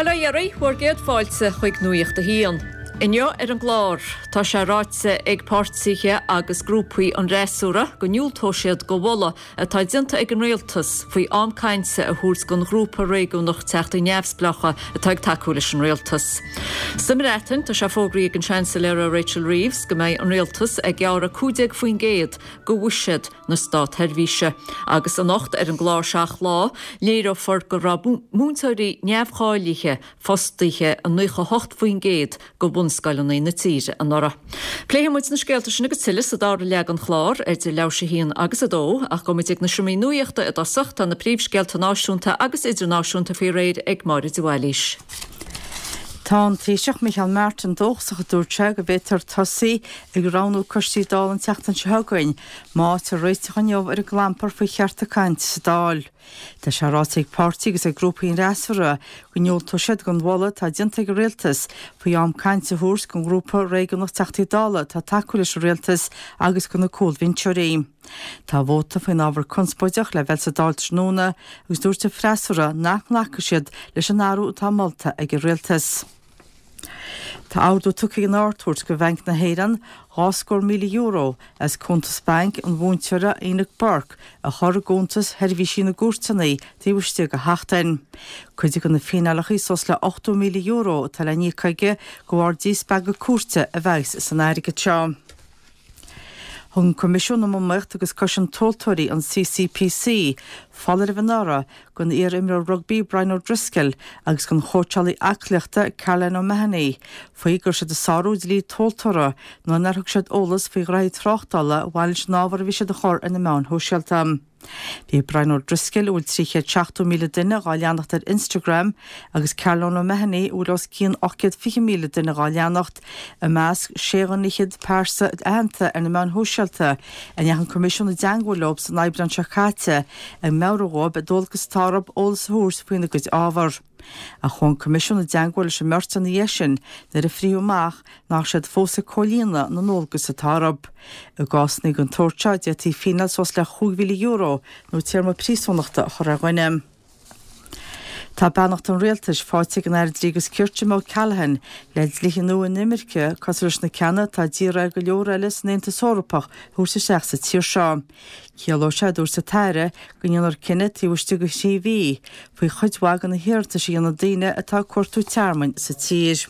Bhuel, a dheiridh, bhur gcéad fáilte chuig Nuacht a hAon. Inniu ar an gclár, tá sé ráite ag páirtithe agus grúpaí an fhreasúra go ndiúltóidh siad do mholadh atá déanta ag an rialtas faoi am cainte a thabhairt don ghrúpa réigiúnach Teachtaí Neamhspleácha atá ag tacú leis an rialtas. Sa mBreatain, tá sé fógraithe ag an Seansailéara Rachel Reeves go mbeidh an rialtas ag gearradh 15% de bhuiséad na státsheirbhíse. Agus anocht ar an gclár 7 Lá, léireofar go raibh múinteoirí neamhcháilithe fostaithe i 98% de bhunscoileanna na tíre anuraidh. Pléifidh muid na scéalta sin agus tuilleadh sa dara leath den chlár, idir leathuair tar éis a haon agus a dó, ach gabhfaidh muid ag na seomraí nuachta i dtosach, tá na príomhscéalta náisiúnta agus idirnáisiúnta faoi réir ag Máire de Bhailís. Tá an Taoiseach Micheál Martin dóchasach, a dúirt sé, go bhféadfar tosaí ag roghnú coistí Dála an tseachtain seo chugainn má fhaightear réiteach inniu ar an gclampar faoi chearta cainte sa Dáil. Tá sé ráite ag páirtithe agus ag grúpaí an fhreasúra go ndiúltóidh siad don mholadh atá déanta ag an Rialtas faoi am cainte a thabhairt don ghrúpa réigiúnach Teachtaí Dála atá ag tacú leis an Rialtas agus do na cúlbhinseoirí. Tá vóta faoin ábhar conspóideach le bheith sa Dáil tráthnóna agus dúirt an freasúra nach nglacfaidh siad leis an athrú atá molta ag an Rialtas. Tá ordú tugtha ag an Ard-Chúirt do Bhanc na hÉireann €2,000,000 as cuntas bainc an mhúinteora Enoch Burke a chur i gcuntas sheirbhísí na gcúirteanna taobh istigh de sheachtain. Cuid de na fíneálacha suas le €80,000 atá le n-íoc aige de bharr díspeagadh cúirte a bheas san airgead seo. Thug an Coimisiún um Iomaíocht agus Cosaint Tomhaltóirí, an CCPC, foláireamh anuraidh don iar-imreoir rugbaí Brian O'Driscoll agus don chóitseálaí aclaíochta Caroline O'Mahony faoi go raibh siad ag sárú dlí tomhaltóra nuair nár thug siad eolas faoi ghraithí tráchtála a bhain leis an ábhar a bhí siad a chur ar na meáin shóisialta. Bhí Brian O'Driscoll, a bhfuil 370,000 duine dhá leanacht ar Instagram, agus Caroline O'Mahony, a bhfuil os cionn 820,000 duine dhá leanacht, i measc sé dhuine fhichead pearsa aitheanta ar na meáin shóisialta a ndeachaigh an Coimisiún i dteangmháil leo san Aibreán seo caite ag meabhrú dhóibh an dualgas atá orthu eolas a thabhairt faoina gcuid ábhar. Ach chuaigh an Coimisiún i dteangmháil leis an mbeirt ina dhiaidh sin nuair a frítheadh amach nach raibh siad fós ag comhlíonadh na ndualgas atá orthu. I gcásanna den tsórt seo, d'fhéadfaí fíneáil suas le €5,000 nó téarma príosúnachta a chur ar dhuine. Tá beannacht an Rialtais faighte ag an Aire Dlí agus Cirt Jim O'Callaghan le dlíthe nua inimirce cosúil leis na ceanna atá d'iarraidh ar go leor eile san Aontas Eorpach a thabhairt isteach sa tír seo. Ciallóidh sé, a dúirt an tAire, go ndéanfar cinneadh taobh istigh de thrí mhí faoi chuid mhaith de na hiarratais a dhéanann daoine atá ag cuartú tearmainn sa tír.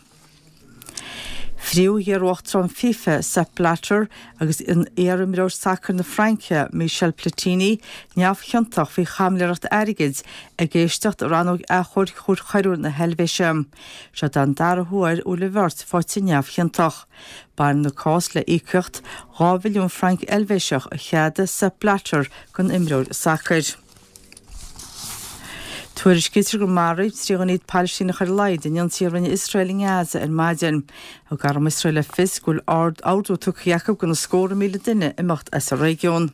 Frítheadh iar-uachtarán FIFA, Sepp Blatter, agus an iar-imreoir sacair na Fraince, Michel Platini, neamhchiontach faoi chaimiléireacht airgid ag éisteacht i rannóg achomhairc Chúirt Choiriúil na hEilvéise. Seo don dara huair a bhfuil an bheirt faighte neamhchiontach. Baineann an cás le íocaíocht 2 mhilliún franc Eilvéiseach a cheadaigh Sepp Blatter don imreoir sacair. Tuairiscítear gur maraíodh 3 dhuine Palaistíneach ar a laghad in ionsaí a rinne Iosrael i nGaza ar maidin. Thug arm Iosrael le fios go bhfuil ordú tugtha acu do na scórtha míle duine imeacht as an réigiún.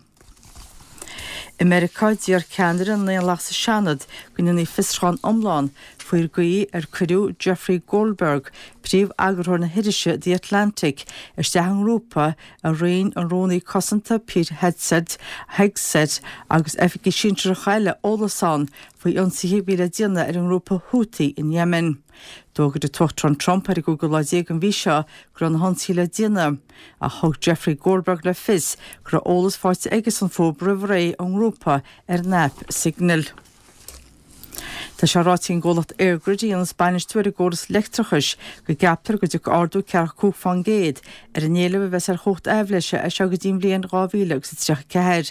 I Meiriceá, d'iarr ceannaire na nDaonlathach sa Seanad go ndéanfaí fiosrúchán iomlán faoin gcaoi ar cuireadh Jeffrey Goldberg, príomh-eagarthóir na hirise The Atlantic, isteach i ngrúpa a roinn an Rúnaí Cosanta Pete Hegseth Hegseth agus oifigigh shinsearacha eile eolas ann faoi ionsaithe a bhí le déanamh ar an ngrúpa Houthi in Yemen. D'fhógair an tUachtarán Trump ar an gcúigiú lá déag den mhí seo go raibh na hionsaithe le déanamh. Ach thug Jeffrey Goldberg le fios go raibh eolas faighte aigesan fúthu roimh ré ón ngrúpa ar an aip Signal. Tá sé ráite ag an gcomhlacht EirGrid a dhéanas bainistiú ar an gcóras leictreachais go gceaptar go dtiocfaidh ardú ceathracha 5 fán gcéad ar an éileamh a bheas ar chumhacht aibhléise as seo go dtí an bhliain 2034.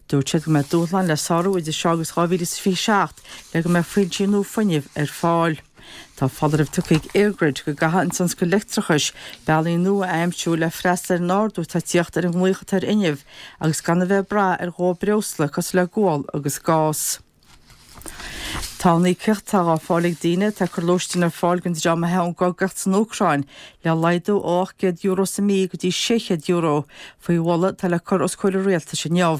Dúirt siad go mbeidh dúshláin le sárú idir seo agus 2027 le go mbeidh foinsí nua fuinnimh ar fáil. Tá foláireamh tugtha ag EirGrid go gcaithfidh an tionscal leictreachais bealaí nua a aimsiú le freastal ar an ardú atá ag tíocht ar an nglaoch atá ar fhuinneamh agus gan a bheith ag brath ar dhó breosla cosúil le gual agus gás. Tá an íocaíocht atá á fáil ag daoine atá ag cur lóistín ar fáil don dream a theith ón gcogaíocht san Úcráin le laghdú ó €800 sa mí go dtí €600 faoi mholadh atá le cur os comhair an rialtais inniu.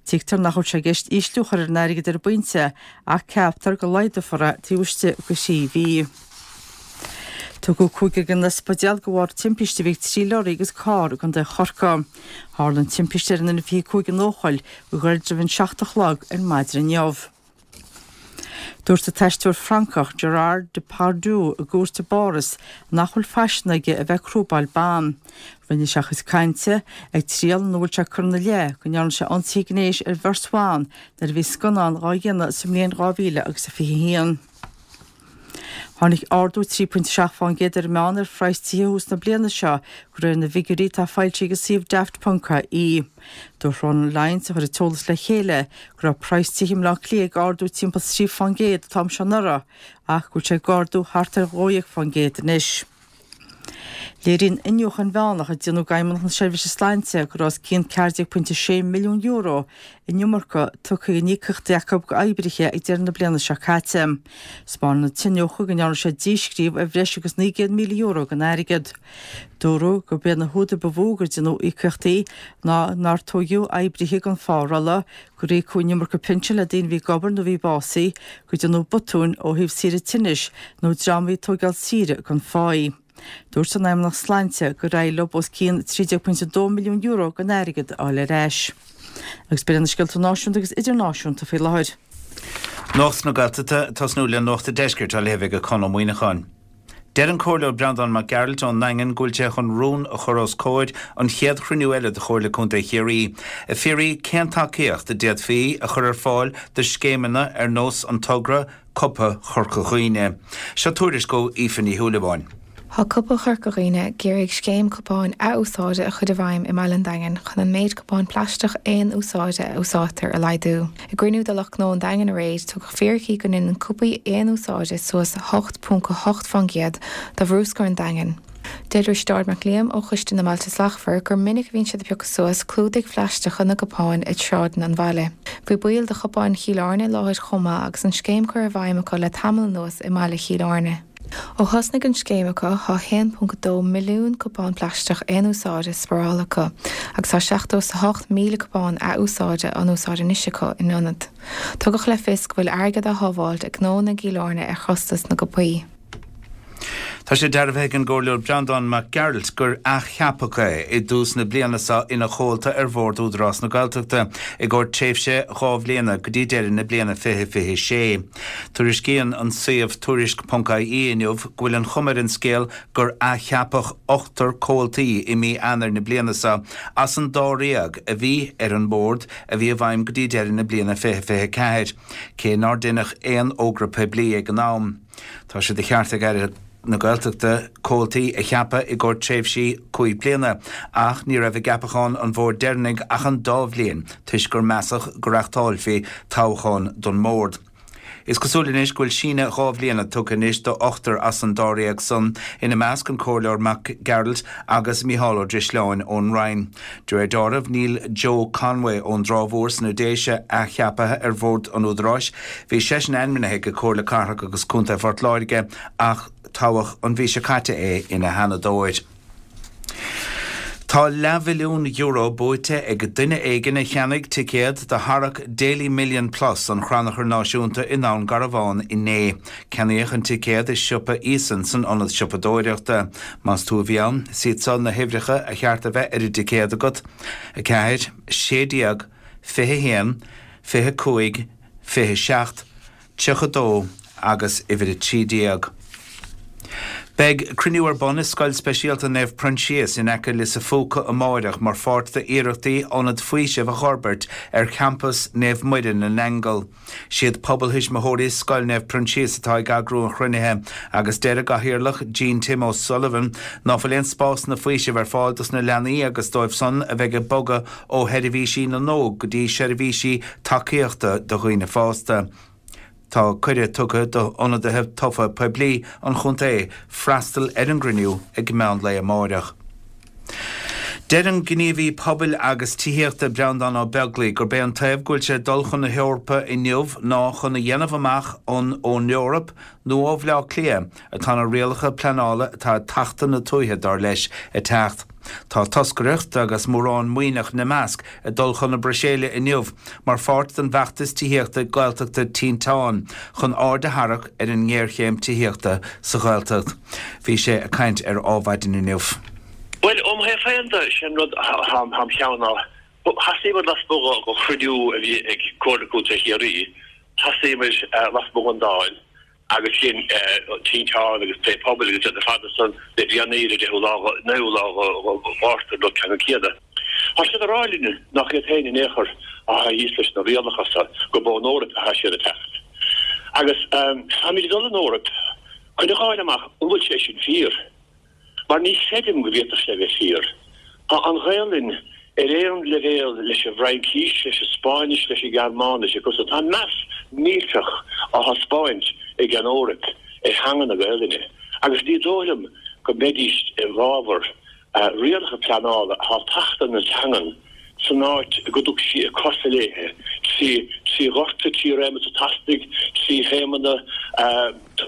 Tuigtear nach bhfuil sé i gceist ísliú a chur ar an airgead ar an bpointe ach ceaptar go laghdófar é taobh istigh de thrí mhí. Tugadh cúigear go dtí an ospidéal de bharr timpiste a bhí ag trí leoraí agus carr i gContae Chorcaí. Tharla an timpiste ar an N25 in Eochaill go gairid roimh an 7 a chlog ar maidin inniu. Dúirt an t-aisteoir Francach Gerard Depardieu i gcúirt i bPáras nach bhfuil faisean aige a bheith ag crúbáil ban. Rinne sé a chuid cainte ag triail ina bhfuil sé ag cur ina leith go ndearna sé ionsaí gnéis ar bheirt bhan nuair a bhí scannán dhá dhéanamh sa mbliain 2000 agus a 21. Tháinig ardú 3.7% ar an meán ar phraghas tithe thús na bliana seo, de réir na bhfigiúirí atá foilsithe ag an suíomh Daft.ie. Dúirt Ronan Lyons, a chuir an t-eolas le chéile, go raibh praghas tithe i mBleá Cliath ag ardú timpeall 3% an t-am seo anuraidh ach go bhfuil sé ag ardú thart ar 12% anois. Léiríonn iniúchadh inmheánach a déanadh ag Fheidhmeannacht na Seirbhíse Sláinte go raibh os cionn €14.6 milliún in iomarca tugtha in íocaíochtaí acu d'oibrithe ag deireadh na bliana seo caite. 'Spáineann an t-iniúchadh go ndearna siad díscríobh ar bhreis agus €900,000 den airgead. Dúradh gurb iad na húdair ba mhó gur déanadh íocaíochtaí ná nár toghadh oibrithe don phárolla, gur íocadh an iomarca pinsean le daoine a bhí ag obair nó a bhí básaithe, gur déanadh botúin ó thaobh saoire tinnis nó dream a bhí ag tóigeáil saoire gan pháí. Dúirt an Fheidhmeannacht Sláinte gur éirigh leo os cionn €13.2 milliún den airgead a fháil ar ais. Agus b'in iad na scéalta náisiúnta agus idirnáisiúnta faoi láthair. Nuacht na Gaeltachta, ag tosnú le Nuacht an Deiscirt á léamh ag Conn Ó Muíneacháin. Deir an Comhairleoir Breandán Mac Gearailt ón nDaingean go bhfuil sé chun rún a chur os comhair an chéad chruinniú eile de Chomhairle Contae Chiarraí ag fiafraí cén tacaíocht a d'fhéadfaí a chur ar fáil do scéimeanna ar nós an togra Cupa Chorca Dhuibhne. Seo tuairisc ó Aoife Ní Shúilleabháin. Tá Cupa Chorca Dhuibhne ag iarraidh scéim cupáin ath-úsáide a chur i bhfeidhm i mbaile an Daingin chun an méid cupán plaisteach aon úsáide a úsáidtear a laghdú. I gcruinniú de lucht gnó an Daingin aréir, tugadh fíricí go ndéanann cupaí aon úsáide suas 8.8% de bhrúscar an Daingin. Deir Risteárd Mac Liam ó Choiste na mBailte Slachtmhar gur minic a bhíonn siad ag piocadh suas clúdaigh phlaisteacha na gcupán i sráideanna an bhaile. Bhí baill de Chupáin Chill Airne i láthair chomh maith agus an scéim curtha i bhfeidhm acu le tamall anuas i mbaile Chill Airne. Ó thosnaigh an scéim acu, tá 1.2 milliún cupán plaisteach aon úsáide spáráltha acu agus tá 78,000 cupán ath-úsáide á n-úsáid anois acu ina ionad. Tugadh le fios go bhfuil airgead á shábháilt ag gnónna i gCill Airne ar chostas na gcupaí. Tá sé dearbhaithe ag an gComhairleoir Breandán Mac Gearailt gur athcheapadh é i dtús na bliana seo ina chomhalta ar Bhord Údarás na Gaeltachta i gcomhair tréimhse 2 bhliana go dtí deireadh na bliana 2026. Tuairiscíonn an suíomh Tuairisc ponc ie inniu go bhfuil an chuma ar an scéal gur athcheapadh ochtar comhaltaí i mí Eanáir na bliana seo as an dáréag a bhí ar an mbord a bhí i bhfeidhm go dtí deireadh na bliana 2024, cé nár deineadh aon fhógra poiblí ag an am. Tá sé de cheart ag Aire na Gaeltachta comhaltaí a cheapadh i gcomhair tréimhsí 5 bliana ach ní raibh i gceapachán an bhoird deireanaigh ach an dá bhliain toisc gur measadh go reáchtálfaí toghchán don mbord. Is cosúil anois go bhfuil síneadh 2 bhliana tugtha anois do ochtar as an dáréag san, ina measc an Comhairleoir Mac Gearailt agus Mícheál Ó Drisleáin ón Rinn. De réir dealraimh níl Joe Conway ón dTrá Mhór sna Déise athcheaptha ar bhord an Údaráis. Bhí seisean ainmnithe ag Comhairle Cathrach agus Contae Phort Láirge ach toghadh an mhí seo caite é ina sheanadóir. Tá leathmhilliún euro buaite ag duine éigin a cheannaigh ticéad do tharrac Daily Million Plus an Chrannchuir Náisiúnta i nDún Garbhán inné. Ceannaíodh an ticéad i siopa Eason san ionad siopadóireachta. Más tú a bhí ann, is iad seo na huimhreacha a cheart a bheith ar an dticéad agat, 4, 16, 21, 25, 27, 32 agus uimhir 13. Beidh cruinniú ar bun i Scoil Speisialta Naomh Proinsias in aice Lios a' Phúca amáireach mar pháirt d'iarrachtaí ionad faoisimh a dh'fhorbairt ar champas Naomh Muire na nAingeal. Siad Pobal Thuismitheoirí Scoil Naomh Proinsias atá ag eagrú an chruinnithe agus deir a gcathaoirleach Jean Tim O'Sullivan ná fuil aon spásanna faoisimh ar fáil dos na leanaí agus dóibh san a bheidh ag bogadh ó sheirbhísí na n-óg go dtí seirbhísí tacaíochta do dhaoine fásta. Tá cuireadh tugtha d'ionadaithe tofa poiblí an chontae freastal ar an gcruinniú ag meán lae amáireach. Deir an gníomhaí pobail agus tithíochta Breandán Ó Beaglaoi gurb é an taobh go bhfuil sé ag dul chun na hEorpa inniu ná chun a dhéanamh amach an ón Eoraip nó ó Bhleá Cliath atá na rialacha pleanála atá ag tachtadh na tuaithe, dar leis, ag teacht. Tá toscaireacht, agus mórán Muimhneach ina measc, ag dul chun na Bruiséile inniu mar pháirt den bhfeachtas tithíochta Gaeltachta Tinteán chun aird a tharrac ar an ngéarchéim tithíochta sa Ghaeltacht. Bhí sé ag caint ar Ádhmhaidin inniu. Bhuel, ó mo thaobh féin de, sé an rud atá im cheann ná, theastaigh muid lasmuigh de chruinniú a bhí ag Comhairle Contae Chiarraí. Thosaíomar lasmuigh den Dáil agus dhein Tinteán agus Plé Pobail agus iad ar fad ansan le déanaí ar an deichiú lá, naoú lá de Mhárta an rud ceannann céanna. Tá siad ag rá linn nach iad féin in aon chor atá thíos leis na rialacha so, gurb ón Eoraip atá siad ag teacht. Agus táimid ag dul an Eoraip chun a dh'fháil amach an bhfuil sé sin fíor. Mar ní chreidim go bhféadfadh sé bheith fíor. Tá an Ghaelainn ar aon leibhéal leis an bhFraincís, leis an Spáinnis, leis an Ghearmáinis agus tá meas millteach á thaispeáint ag an Eoraip ar theanga na Gaelainne agus ní dóigh liom go mbeidís i bhfabhar rialacha pleanála atá ag tachtadh na teangan san áit go dtug sí a cosa léithe, trí ghorta, trí réimeas an teastaigh, trí thaomanna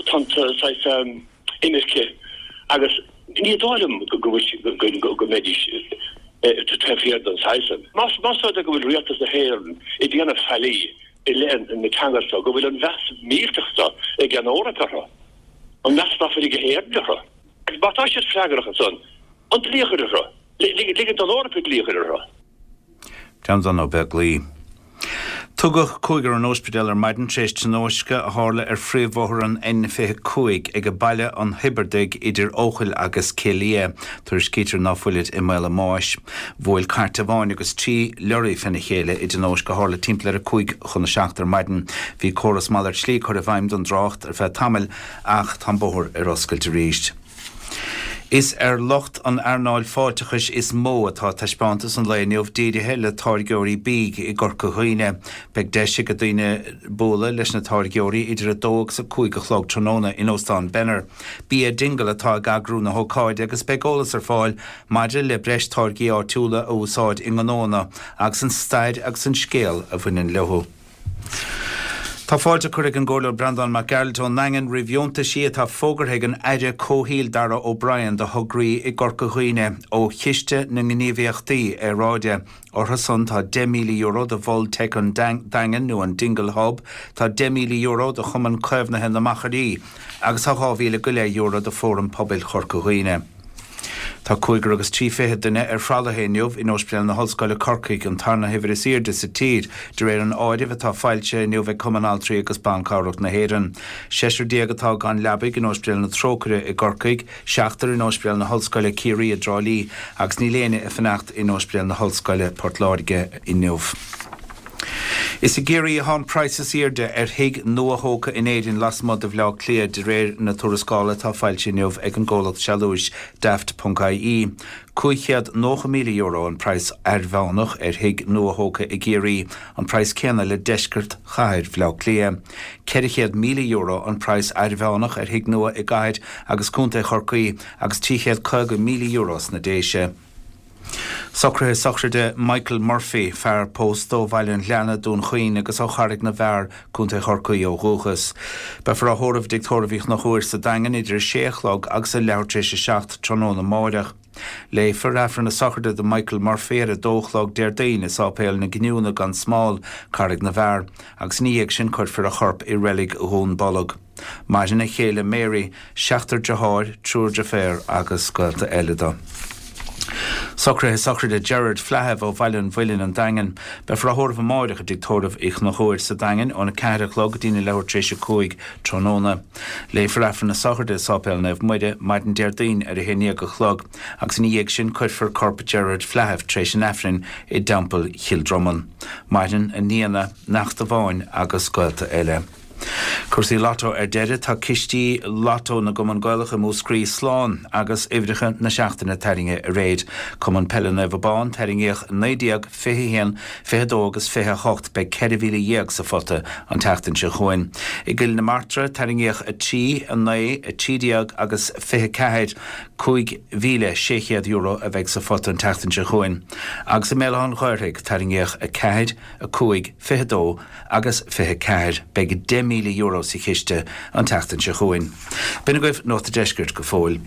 tonnta saghas. imirce agus ní dóigh liom go bhfuil go mbeidís taobh thiar den saghas san. Más rud é go bhfuil Rialtas na hÉireann ag déanamh faillí i leith na teanga seo, go bhfuil an mheas millteach seo ag an Eoraip orthu, an meas ná fuil ag Éirinn orthu, agus má tá siad freagrach ansan, an dlí a chur orthu, ligean don Eoraip an dlí a chur orthu. Breandán Ó Beaglaoi. Tugadh cúigear an ospidéal ar maidin tar éis tionóisce a tharla ar phríomhbhóthar an N25 ag Baile an Thiobardaigh idir Eochaill agus Cill Liath. Tuairiscítear ná fuilid i mbaol a mbáis. Bhuail cairt amháin agus 3 leoraí fena chéile i dtionóisc a tharla timpeall ar 5 chun a 7 ar maidin. Bhí córas malairt slí curtha i bhfeidhm don dtrácht ar feadh tamaill ach tá an bóthar ar oscailt arís. Is ar lucht an earnáil fáilteachais is mó atá taispeántas an lae inniu dírithe le táirgeoirí bídh i gCorca Dhuibhne. Beidh deis ag daoine bualadh leis na táirgeoirí idir 2 agus 5 a chlog tráthnóna in Óstán Benner. Bia Dingle atá ag eagrú na hócáide agus beidh eolas ar fáil maidir le breis táirgí áitiúla a úsáid i ngnóanna agus an stair agus an scéal a bhaineann leo. Tá fáilte curtha ag an gComhairleoir Breandán Mac Gearailt ón nDaingean roimh dheontaisí atá fógartha ag an Aire Comhshaoil Darragh O'Brien do thograí i gCorca Dhuibhne ó Chiste na nGníomhaíochtaí Aeráide. Orthu san tá €10,000 do Mhol Teic an Daingin nó an Dingle Hub, tá €10,000 do Chumann Caomhnaithe na Machairí agus tá €2,000 go leith do Fóram Pobail Chorca Dhuibhne. Tá cúigear agus 30 duine ar thralaithe inniu in Ospidéal na hOllscoile Corcaigh, an tarna huimhir is airde sa tír, de réir an áirimh atá foilsithe inniu ag Cumann Altraí agus Ban Cabhrach na hÉireann. Seisear déag atá gan leabaidh in Ospidéal na Trócaire i gCorcaigh, seachtar in Ospidéal na hOllscoile Ciarraí i dTrá Lí agus níl éinne ag fanacht in Ospidéal na hOllscoile Port Láirge inniu. Is i gCiarraí atá an praghas is airde ar thigh nua-thógtha in Éirinn lasmuigh de Bhaile Átha Cliath, de réir na tuarascála atá foilsithe inniu ag an gcomhlacht sealúis Daft.ie. €590,000 an praghas airmheánach ar thigh nua-thógtha i gCiarraí, an praghas céanna le deisceart chathair Bhaile Átha Cliath. €400,000 an praghas airmheánach ar thigh nua i gcathair agus contae Chorcaí agus €350,000 sna Déise. Socruithe sochraide Michael Murphy, fear pósta ó Bhaile an Ghleanna, Dún Chaoin agus ó Charraig na bhFear, Co. Chorcaí ó dhúchas. Beifear á thórramh i dTigh Tórraimh Uí Chonchúir sa Daingean idir 6 a chlog agus a leathuair tar éis 7 tráthnóna amáireach. Léifear Aifreann na sochraide do Michael Murphy ar 2 a chlog Déardaoin i Sáipéal na Giniúna gan Smál, Carraig na bhFear, agus ina dhiaidh sin cuirfear a chorp i Reilig Dhún Bolg. Maireann a chéile Mary, seachtar deartháir, triúr deirféar agus gaolta eile dó. Socruithe sochraide Gerard Flaithimh ó Bhaile an Mhuilinn, An Daingean. Beifear á thórramh amáireach i dTigh Tórraimh Uí Chonchúir sa Daingean óna 4 a chlog go dtína leathuair tar éis 5 tráthnóna. Léifear Aifreann na sochraide i Sáipéal Naomh Muire maidin Déardaoin ar a haon dhéag a chlog agus ina dhiaidh sin cuirfear corp Gerard Flaithimh tar éis an Aifrinn i dTeampall Chill Dromann. Maireann a nianna, neacht amháin agus gaolta eile. Cúrsaí Lotto ar deireadh, tá cistí Lotto na gCumann Gaelach i Múscraí slán agus uimhreacha na seachtaine tarraingthe aréir. Cumann Peile Naomh Abán, tarraingíodh 19, 21, 22 agus 28, beidh 14,000 sa phota an tseachtain seo chugainn. I gCill na Martra, tarraingíodh 3, 9, 13 agus 24, €5,600 a bheidh sa phota an tseachtain seo chugainn. Agus i mBéal Átha an Ghaorthaidh, tarraingíodh 4, 5, 22 agus 24. Beidh €10,000 sa chiste an tseachtain seo chugainn. B'in agaibh Nuacht an Deiscirt go fóill.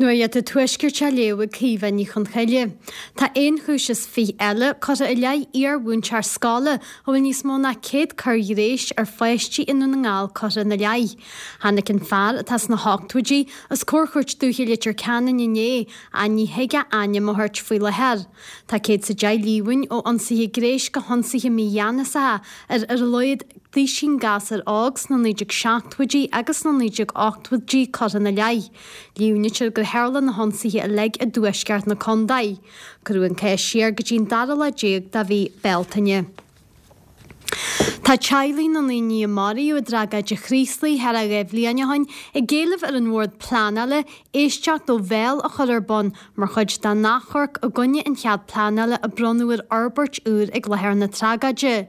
Nuacht an Tuaiscirt á léamh ag Caoimhe Ní Chonchoille. Tá aon chúis is fich eile curtha i leith iar-mhúinteoir scoile a bhfuil níos mó ná 100 coir ghnéis ar pháistí i nDún na nGall curtha ina leith. Tháinig an fear, atá sna hochtóidí, os comhair Chúirt Dúiche Leitir Ceanainn inné, ach ní thig a ainm a thabhairt faoi láthair. Tá 110 líomhain ó ionsaithe gnéis go hionsaithe mígheanasacha ar ar a laghad. duaisín gasúr óg sna 1970idí agus sna 1980idí curtha ina leith. Líomhnaítear gur tharla na hionsaithe uilig i dtuaisceart na contae. Cuireadh an cás siar go dtí an dara lá déag de mhí Bealtaine. Tá teaghlaigh na ndaoine a maraíodh i dtragóid an Chraoslaigh thar a 2 bhliain ó shin ag éileamh ar an Bhord Pleanála éisteacht ó bhéal a chur ar bun mar chuid dá n-achomharc i gcoinne an chead pleanála a bronnadh ar fhorbairt úr ag láthair na tragóide.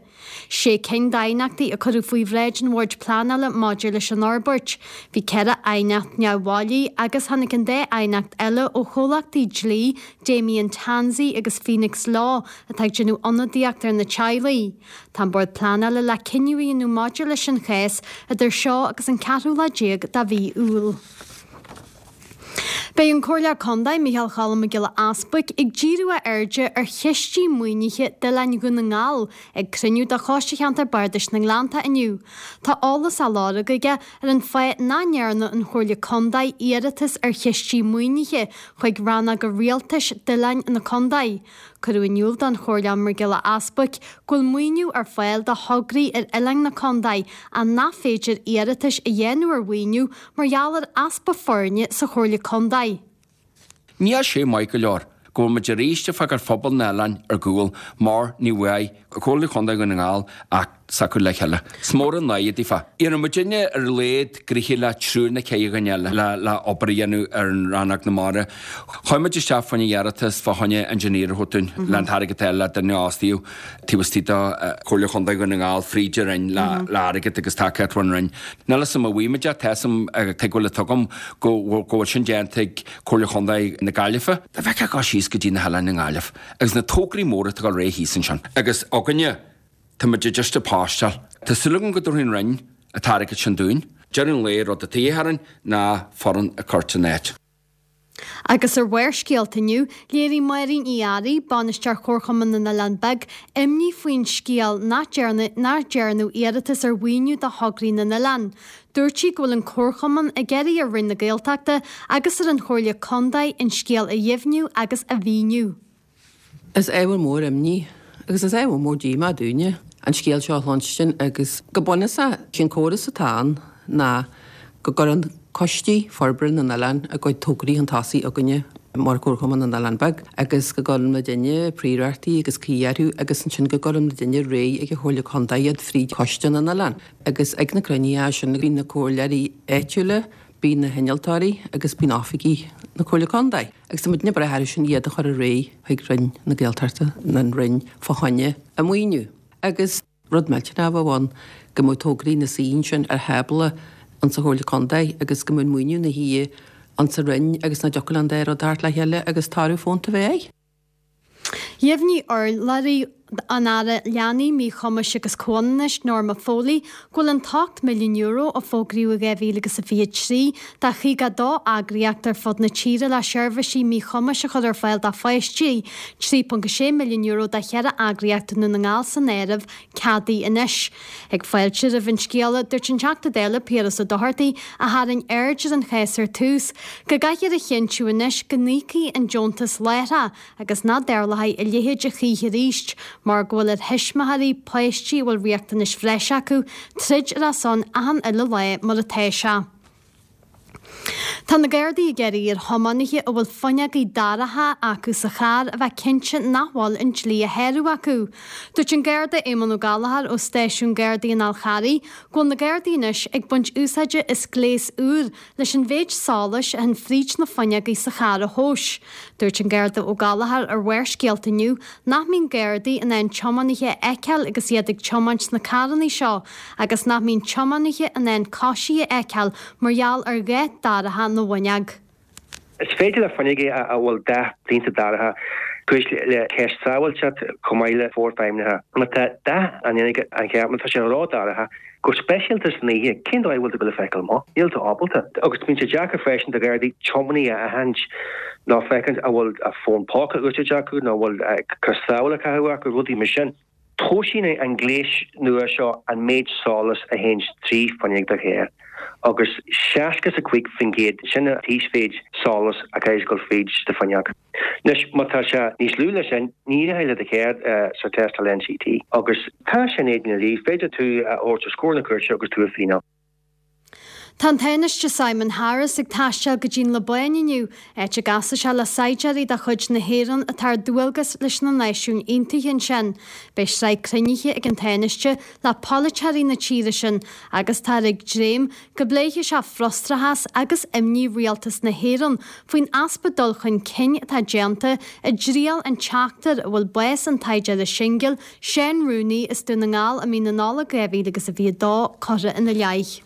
Sé cinn d'aighneachtaí a cuireadh faoi bhráid an Bhoird Pleanála maidir leis an fhorbairt. Bhí 4 aighneacht neamhbhailí agus tháinig an dá aighneacht eile ó chomhlachtaí dlí Damien Tansey agus Phoenix Law atá ag déanamh ionadaíocht ar na teaghlaigh. Tá an Bord Pleanála le cinneadh a dhéanamh maidir leis an chás idir seo agus an ceathrú lá déag de mhí Iúil. Beidh an Comhairleoir Contae, Micheál Cholm Mac Giolla Easbuic, ag díriú a airde ar chistí maoinithe d'oileáin Dhún na nGall ag cruinniú de Choiste Cheantar Bardais na nGleannta inniu. Tá eolas á lorg aige ar an fáth nach ndearna an Chomhairle Contae iarratas ar chistí maoinithe chuig rannóga rialtais d'oileáin na contae. Cuireadh in iúl don Chomhairleoir Mac Giolla Easbuic go bhfuil maoiniú ar fáil do thograí ar oileáin na contae ach nach féidir iarratais a dhéanamh ar mhaoiniú mar gheall ar easpa foirne sa Chomhairle Contae. Níl sé maith go leor go bhfuil muid arís ag fágáil phobal na n-oileán ar gcúl mar ní bhfaighidh Comhairle Chontae Dhún na nGall ach s'acu le chéile. Is mór an náire daofa. Iarrann muidinne ar a laghad gnoithe le triúr nó ceithre dhuine eile le obair a dhéanamh ar an Rannóg na Mara. Chuaigh muid isteach fá choinne iarratas fá choinne engineer a thabhairt dúinn le an t-airgead a fháil le duine a fhostaíodh taobh istigh de Chomhairle Chontae Dhún na nGall fríd an Roinn le airgead agus tacaíocht ón Roinn. Níl 'fhios a'm an bhfaighidh muid é, tá 'fhios a'm, tuigbheáil atá agam go bhfuil sin déanta ag Comhairle Chontae na Gaillimhe. Dá bhfeicfeá ag dul síos go dtí na hoileáin i nGaillimh agus na tograí móra atá ag dul ar aghaidh thíos ansin agus againne, Tá muid just ag póstáil. Tá súil agam go dtabharfaidh an Roinn an t-airgead sin dúinn. Deireadh an lae, rud atá de dhíth orainn ná foireann a chur san áit. Agus ar Bharrscéalta inniu, léirigh Máirín Uí Fhearraigh, Bainisteoir Chomharchumann na nOileán Beag, imní faoin scéal nach ndearnadh iarratas ar mhaoiniú do thograí na n-oileán. Dúirt sí go bhfuil an Comharchumann ag iarraidh ar Roinn na Gaeltachta agus ar an Chomhairle Contae an scéal a dheimhniú agus a mhíniú. Is ábhar mór imní agus is ábhar mór díomá dúinne an scéal seo a chluinstin agus go bunúsach sé'n córas atá ann ná go gcuireann coistí forbartha na n-oileán a gcuid tograí chun tosaigh chugainne mar Chomharchumann na nOileán Beag agus go gcuireann muidinne príorachtaí agus caoi orthu agus ansin go gcuireann muidinne ar aghaidh ag an Chomhairle Contae iad fríd Choiste na nOileán agus ag na cruinnithe sin bíonn na comhairleoirí áitiúla, bíonn na hinnealtóirí agus bíonn oifigigh na Comhairle Contae. Agus tá muidne ag brath orthu sin iad a chur ar aghaidh chuig Roinn na Gaeltachta, an Roinn fá choinne a maoiniú. Agus rud millteanach a bheadh ann go mbeadh tograí ina suí ansin ar thábla insa Chomhairle Contae agus go mbeadh an maoiniú ina shuí insa Roinn agus nach dtiocfadh an dá rud a theacht le chéile agus toradh fónta a bheith air. Dheimhnigh urlabhraí an Aire Leanaí, Míchumais agus Comhionannais, Norma Foley, go bhfuil an t-€8 milliún a fógraíodh i 2023 do 52 eagraíocht ar fud na tíre le seirbhísí míchumais a chur ar fáil do pháistí, €3.6 milliún do cheithre eagraíocht i nDún na nGall san áireamh, ceadaithe anois. Ag fáiltiú roimh an scéala, dúirt an Teachta Dála Piaras Ó Dochartaigh, a tharraing aird ar an chás ar tús, go gcaithfear a chinntiú anois go n-íocfaí an deontas láithreach agus nach dtarlóidh a leithéid a choíche arís mar go bhfuil ar thuismitheoirí páistí a bhfuil riachtanais bhreise acu troid ar a son achan uile lá mar atá sé. Tá na Gardaí ag iarraidh ar thiománaithe a bhfuil fuinneogaí dorcha acu sa charr a bheith cinnte nach bhfuil an dlí á shárú acu. Dúirt an Garda Éamonn Ó Gallchóir ó Stáisiún Gardaí an Fháil Charraigh go bhfuil na Gardaí anois ag baint úsáide as gléas úr leis an mhéid solais a théann fríd na fuinneogaí sa charr a thomhas. Dúirt an Garda Ó Gallchóir ar Bharrscéalta inniu nach mbíonn Gardaí in ann tiománaithe a fheiceáil agus iad ag tiomáint sna carranna seo agus nach mbíonn tiománaithe in ann coisithe a fheiceáil mar gheall ar dhath dorcha na bhfuinneog. Is féidir le fuinneoga a bhfuil dath prionta dorcha cur le ceist sábháilteacht chomh maith le forfheidhmithe. Má tá dath an fhuinneog an cheart, má tá sé ró-dhorcha, go speisialta san oíche, cén dóigh a bhfuil tú ag dul a feiceáil amach? Níl tú ábalta. Agus bíonn sé deacair freisin do Ghardaí tiománaí a aithint nó féachaint an bhfuil a fón póca á úsáid acu nó an bhfuil cos sábhála á caitheamh acu, rudaí mar sin. Tomhaiseann an gléas nua seo an méid solas a théann trí fuinneog do charr agus 65% sin an t-íosmhéid solas a chaithfidh dul fríd do fuinneog. Anois má tá sé níos lú ná sin, ní rachaidh le do charr sa tástáil NCT agus tá sin éadan an dlí, féidir tú a thabhairt os comhair na cúirte agus tú a fíneáil. Tá an Tánaiste Simon Harris ag taisteal go dtí'n Liobáin inniu, áit a gcasfaidh sé le saighdiúirí de chuid na hÉireann atá ar dualgas leis na Náisiúin Aontaithe ansin. Beidh sraith cruinnithe ag an Tánaiste le polaiteoirí na tíre sin agus táthar ag dréim go bpléifidh sé frustrachas agus imní rialtas na hÉireann faoin easpa dul chun cinn atá déanta i dtriail an tseachtair a bhfuil bás an tsaighdiúra singil Seán Rooney as Dún na nGall i mí na Nollag 2022 curtha ina leith.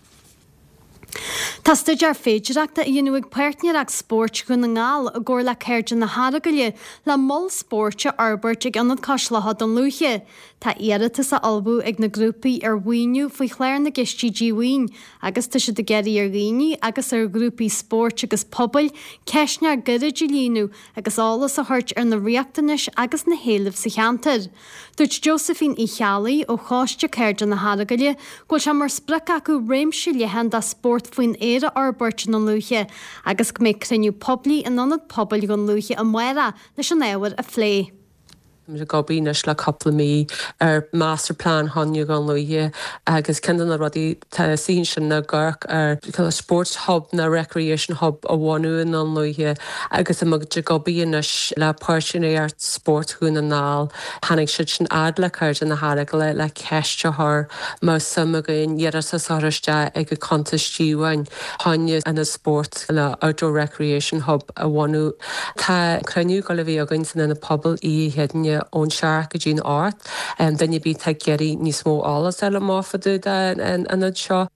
Tá staidéar féidireachta á dhéanamh ag Páirtnéireacht Spóirt Dhún na nGall i gcomhar le Cairde na hEaragaile le mol spóirt a fhorbairt ag Ionad Cois Locha Dún Lúiche. Tá iarratas á ullmhú ag na grúpaí ar mhaoiniú faoi chlár na gCistí Díomhaoin agus tá siad ag iarraidh ar dhaoine agus ar ghrúpaí spóirt agus pobail ceistneoir gairid a líonadh agus eolas a thabhairt ar na riachtanais agus na héilimh sa cheantar. Dúirt Josephine Uí Cheallaigh ó Choiste Cairde na hEaragaile go bhfuil sé mar sprioc acu réimse leathan de spórt faoin aer a fhorbairt i nDún Lúiche agus go mbeidh cruinniú poiblí in Ionad Pobail Dhún Lúiche amárach leis an ábhar a phlé. Táimid ag obair anois le cúpla mí ar Master Plean Chontae Dhún Lúiche agus ceann de na rudaí atá istigh ansin ná ag amharc ar cineál sports hub nó recreation hub a bhunú i nDún Lúiche agus tá muid ag obair anois le Páirtnéireacht Spóirt Dhún na nGall. Tháinig siad sin fhad le Cairde na hEaragaile le ceist a chur an mbeadh suim againn iarratas a chur isteach ag an cuntas díomhaoin fá choinne ionad spóirt nó outdoor recreation hub a bhunú. Tá cruinniú ag dul a bheith againn san Ionad Pobail oíche Chéadaoine ón seacht go dtí'n ocht. Duine ar bith atá ag iarraidh níos mó eolas a fháil amach fá dtaobh den ionad seo.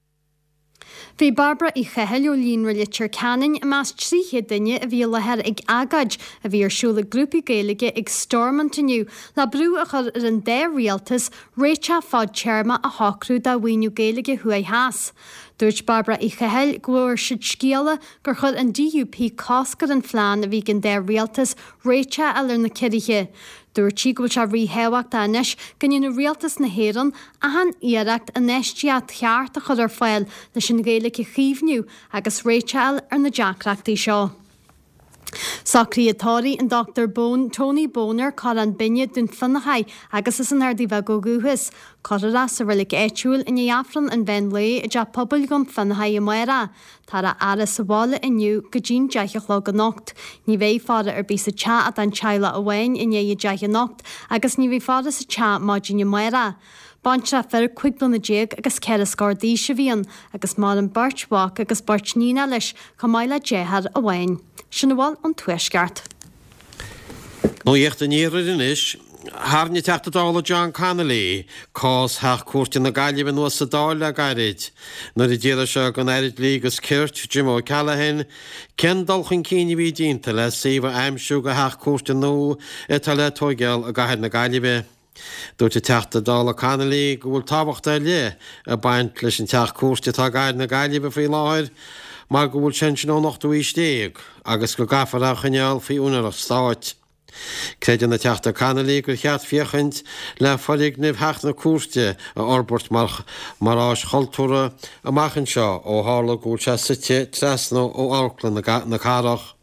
Bhí Bairbre Uí Chathail ó Líonra Leitir Ceanainn i measc 300 duine a bhí i láthair ag agóid a bhí ar siúl ag grúpaí Gaeilge ag Stormont inniu le brú a chur ar an dá rialtas réiteach fadtéarmach a shocrú do mhaoiniú Gaeilge thuaidh theas. Dúirt Bairbre Uí Chathail go bhfuair siad scéala gur chuir an DUP cosc ar an phlean a bhí ag an dá rialtas réiteach a fháil ar na ciorruithe. Dúirt sí go bhfuil sé ríthábhachtach anois go ndéanfadh rialtas na hÉireann achan iarracht infheistíocht cheart a chur ar fáil leis an Ghaeilge a chaomhnú agus réiteach a fháil ar na deacrachtaí seo. Socruithe tórraimh an Dr Bone, Tony Boner, Corrán Binne, Dún Fionnachaidh agus as an Ardaidh Bheag ó dhúchas. Cuirfear é sa reilig áitiúil i ndiaidh Aifreann an mheán lae i dTeach Pobail Dhún Fionnachaidh amárach. Táthar á fhaire sa bhaile inniu go dtí'n 10 a chlog anocht. Ní bheidh faire ar bith sa teach ach don teaghlach amháin i ndiaidh a 10 anocht agus ní bheidh faire sa teach maidin amárach. Baintreach fir 15 bliana agus ceithre scór d'aois a bhí ann agus maireann beirt mhac agus beirt níonacha leis chomh maith le deartháir amháin. Sin a bhfuil ón Tuaisceart. Nuacht an Iarthair anois. Tharraing an Teachta Dála John Connolly cás Theach Cúirte na Gaillimhe anuas sa Dáil le gairid nuair a d'fhiafraigh sé den Aire Dlí agus Cirt, Jim O'Callaghan, cén dul chun cinn a bhí déanta le suíomh a aimsiú do theach cúirte nua atá le tóigeáil i gcathair na Gaillimhe. Dúirt an Teachta Dála Connolly go bhfuil tábhacht ar leith ag baint leis an teach cúirte atá i gcathair na Gaillimhe faoi láthair mar go bhfuil sé ansin ón ochtú aois déag agus go gcaithfear é a choinneáil faoi úinéireacht stáit. Creideann an Teachta Connolly gur cheart féachaint le foirgneamh theach na cúirte a fhorbairt mar mar áis chultúrtha amach anseo ó tharla go bhfuil sé suite trasna ó Amharclann na Cathrach.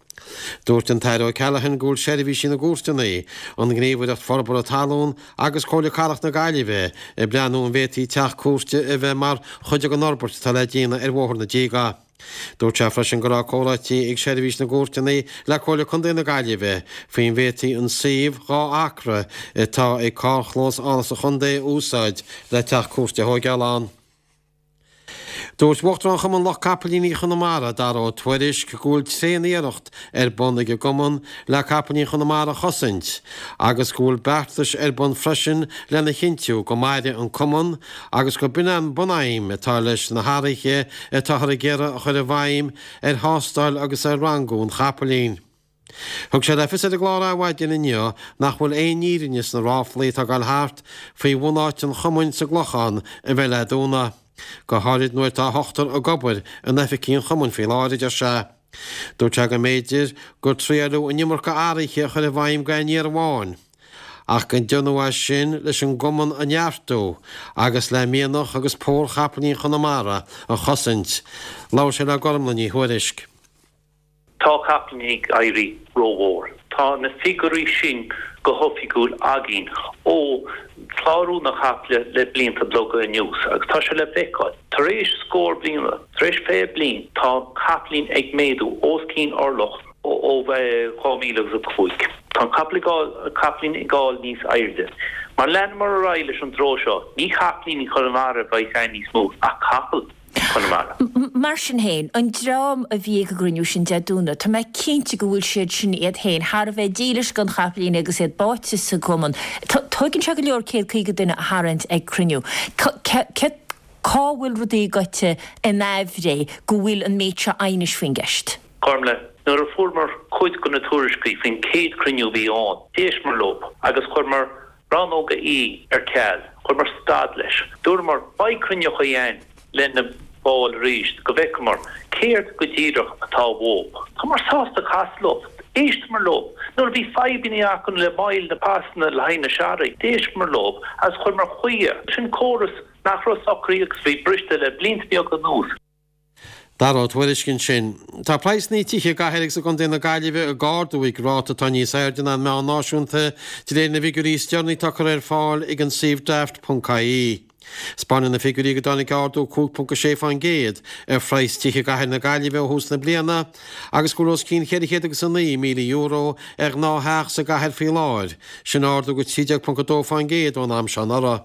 Dúirt an tAire O'Callaghan go bhfuil Seirbhísí na gCúirteanna, an Ghníomhaireacht Forbartha Talún agus Comhairle Cathrach na Gaillimhe ag breathnú an bhféadfaí teach cúirte a bheith mar chuid den fhorbairt atá le déanamh ar Bhóthar na Díge. Dúirt sé freisin go raibh comhráití ag Seirbhís na gCúirteanna le Comhairle Contae na Gaillimhe faoin bhféadfaí an suíomh 2 acra atá ag carrchlós Áras an Chontae a úsáid le teach cúirte a thóigeáil ann. Dúirt Uachtarán Chumann Lucht Capaillíní Chonamara, Dara Ó Tuairisg, go bhfuil tréan-iarracht ar bun ag an gcumann le capaillíní Chonamara a chosaint agus go bhfuil beartais ar bun freisin lena chinntiú go mairfidh an cumann agus go b'in an bunaidhm atá leis na hathruithe atáthar ag iarraidh a chur i bhfeidhm ar thástáil agus ar rangú an chapaillín. Thug sé le fios ar an gclár Adhmhaidin inniu nach bhfuil aon fhírinne sna ráflaí atá ag dul thart faoi bhunáit an chumainn sa gClochán a bheith le dúnadh, go háirid nuair atá ochtar ag obair in oifigí an chumainn faoi láthair, a deir sé. Dúirt sé go mb'fhéidir gur triaileadh an iomarca athruithe a chur i bhfeidhm d'aon iarraidh amháin. ach go ndearnadh é sin leis an gcumann a neartú agus le mianach agus pór chapaillín Chonamara a chosaint. Labhair sé le Gormlaith Ní Thuairisg. Tá capaillíní ag éirí rómhór. Tá na figiúirí sin go hoifigiúil againn ó chlárú na caiple le blianta beaga anuas agus tá sé le feiceáil. Tar éis scór bliana, tar éis 20 bliain, tá capaillín ag méadú os cionn orlach ó 2000 agus 5. Tá an capaillín ag gabháil níos airde. Má leanamar ar aghaidh leis an dtreo seo, ní capaillíní Chonamara a bheidh ann níos mó ach capaill. Chonamara. Mar sin féin, an dream a bhí ag an gcruinniú sin Dé Domhnaigh, tá mé cinnte go bhfuil siad sin iad féin thar a bheith dílis don chapaillín agus iad báite sa gcumann. Tóigeann sé go leor 150 duine a tharraingt ag cruinniú. Cá bhfuil rudaí goite in aimhréidh go bhfuil an méid seo aighnis faoin gceist? Gormlaith, nuair a fuaireamar cuid de na tuairiscí faoin chéad chruinniú a bhí ann, d'éisteamar leo agus chuireamar Rannóg E ar ceal, chuireamar stad leis. Dúramar, beidh cruinneochaí a'inn le na baill arís go bhfeicfeamar céard go díreach atá uób. Támar sásta casadh leo. D'éisteamar leo. Nuair a bhí fadhbannaí acu le moill na pasanna le haghaidh na searraigh, d'éisteamar leo agus chuireamar chuige. Sin córas nach raibh socraithe agus a bhí briste le blianta beaga anuas. Dara Ó Tuairisg ansin. Tá praghsanna tithe i gcathair agus i gcontae na Gaillimhe ag ardú ag ráta atá níos airde ná an meán náisiúnta, de réir na bhfigiúirí is deireanaí atá curtha ar fáil ag an suíomh Daft ponc ie. Spáineann na figiúirí go dtáinig ardú 5.6% ar phraghas tithe i gcathair na Gaillimhe ó thús na bliana agus go bhfuil os cionn €409,000 ar ghnáth-theach sa gcathair faoi láthair, sin ardú 13.2% ón am seo anuraidh.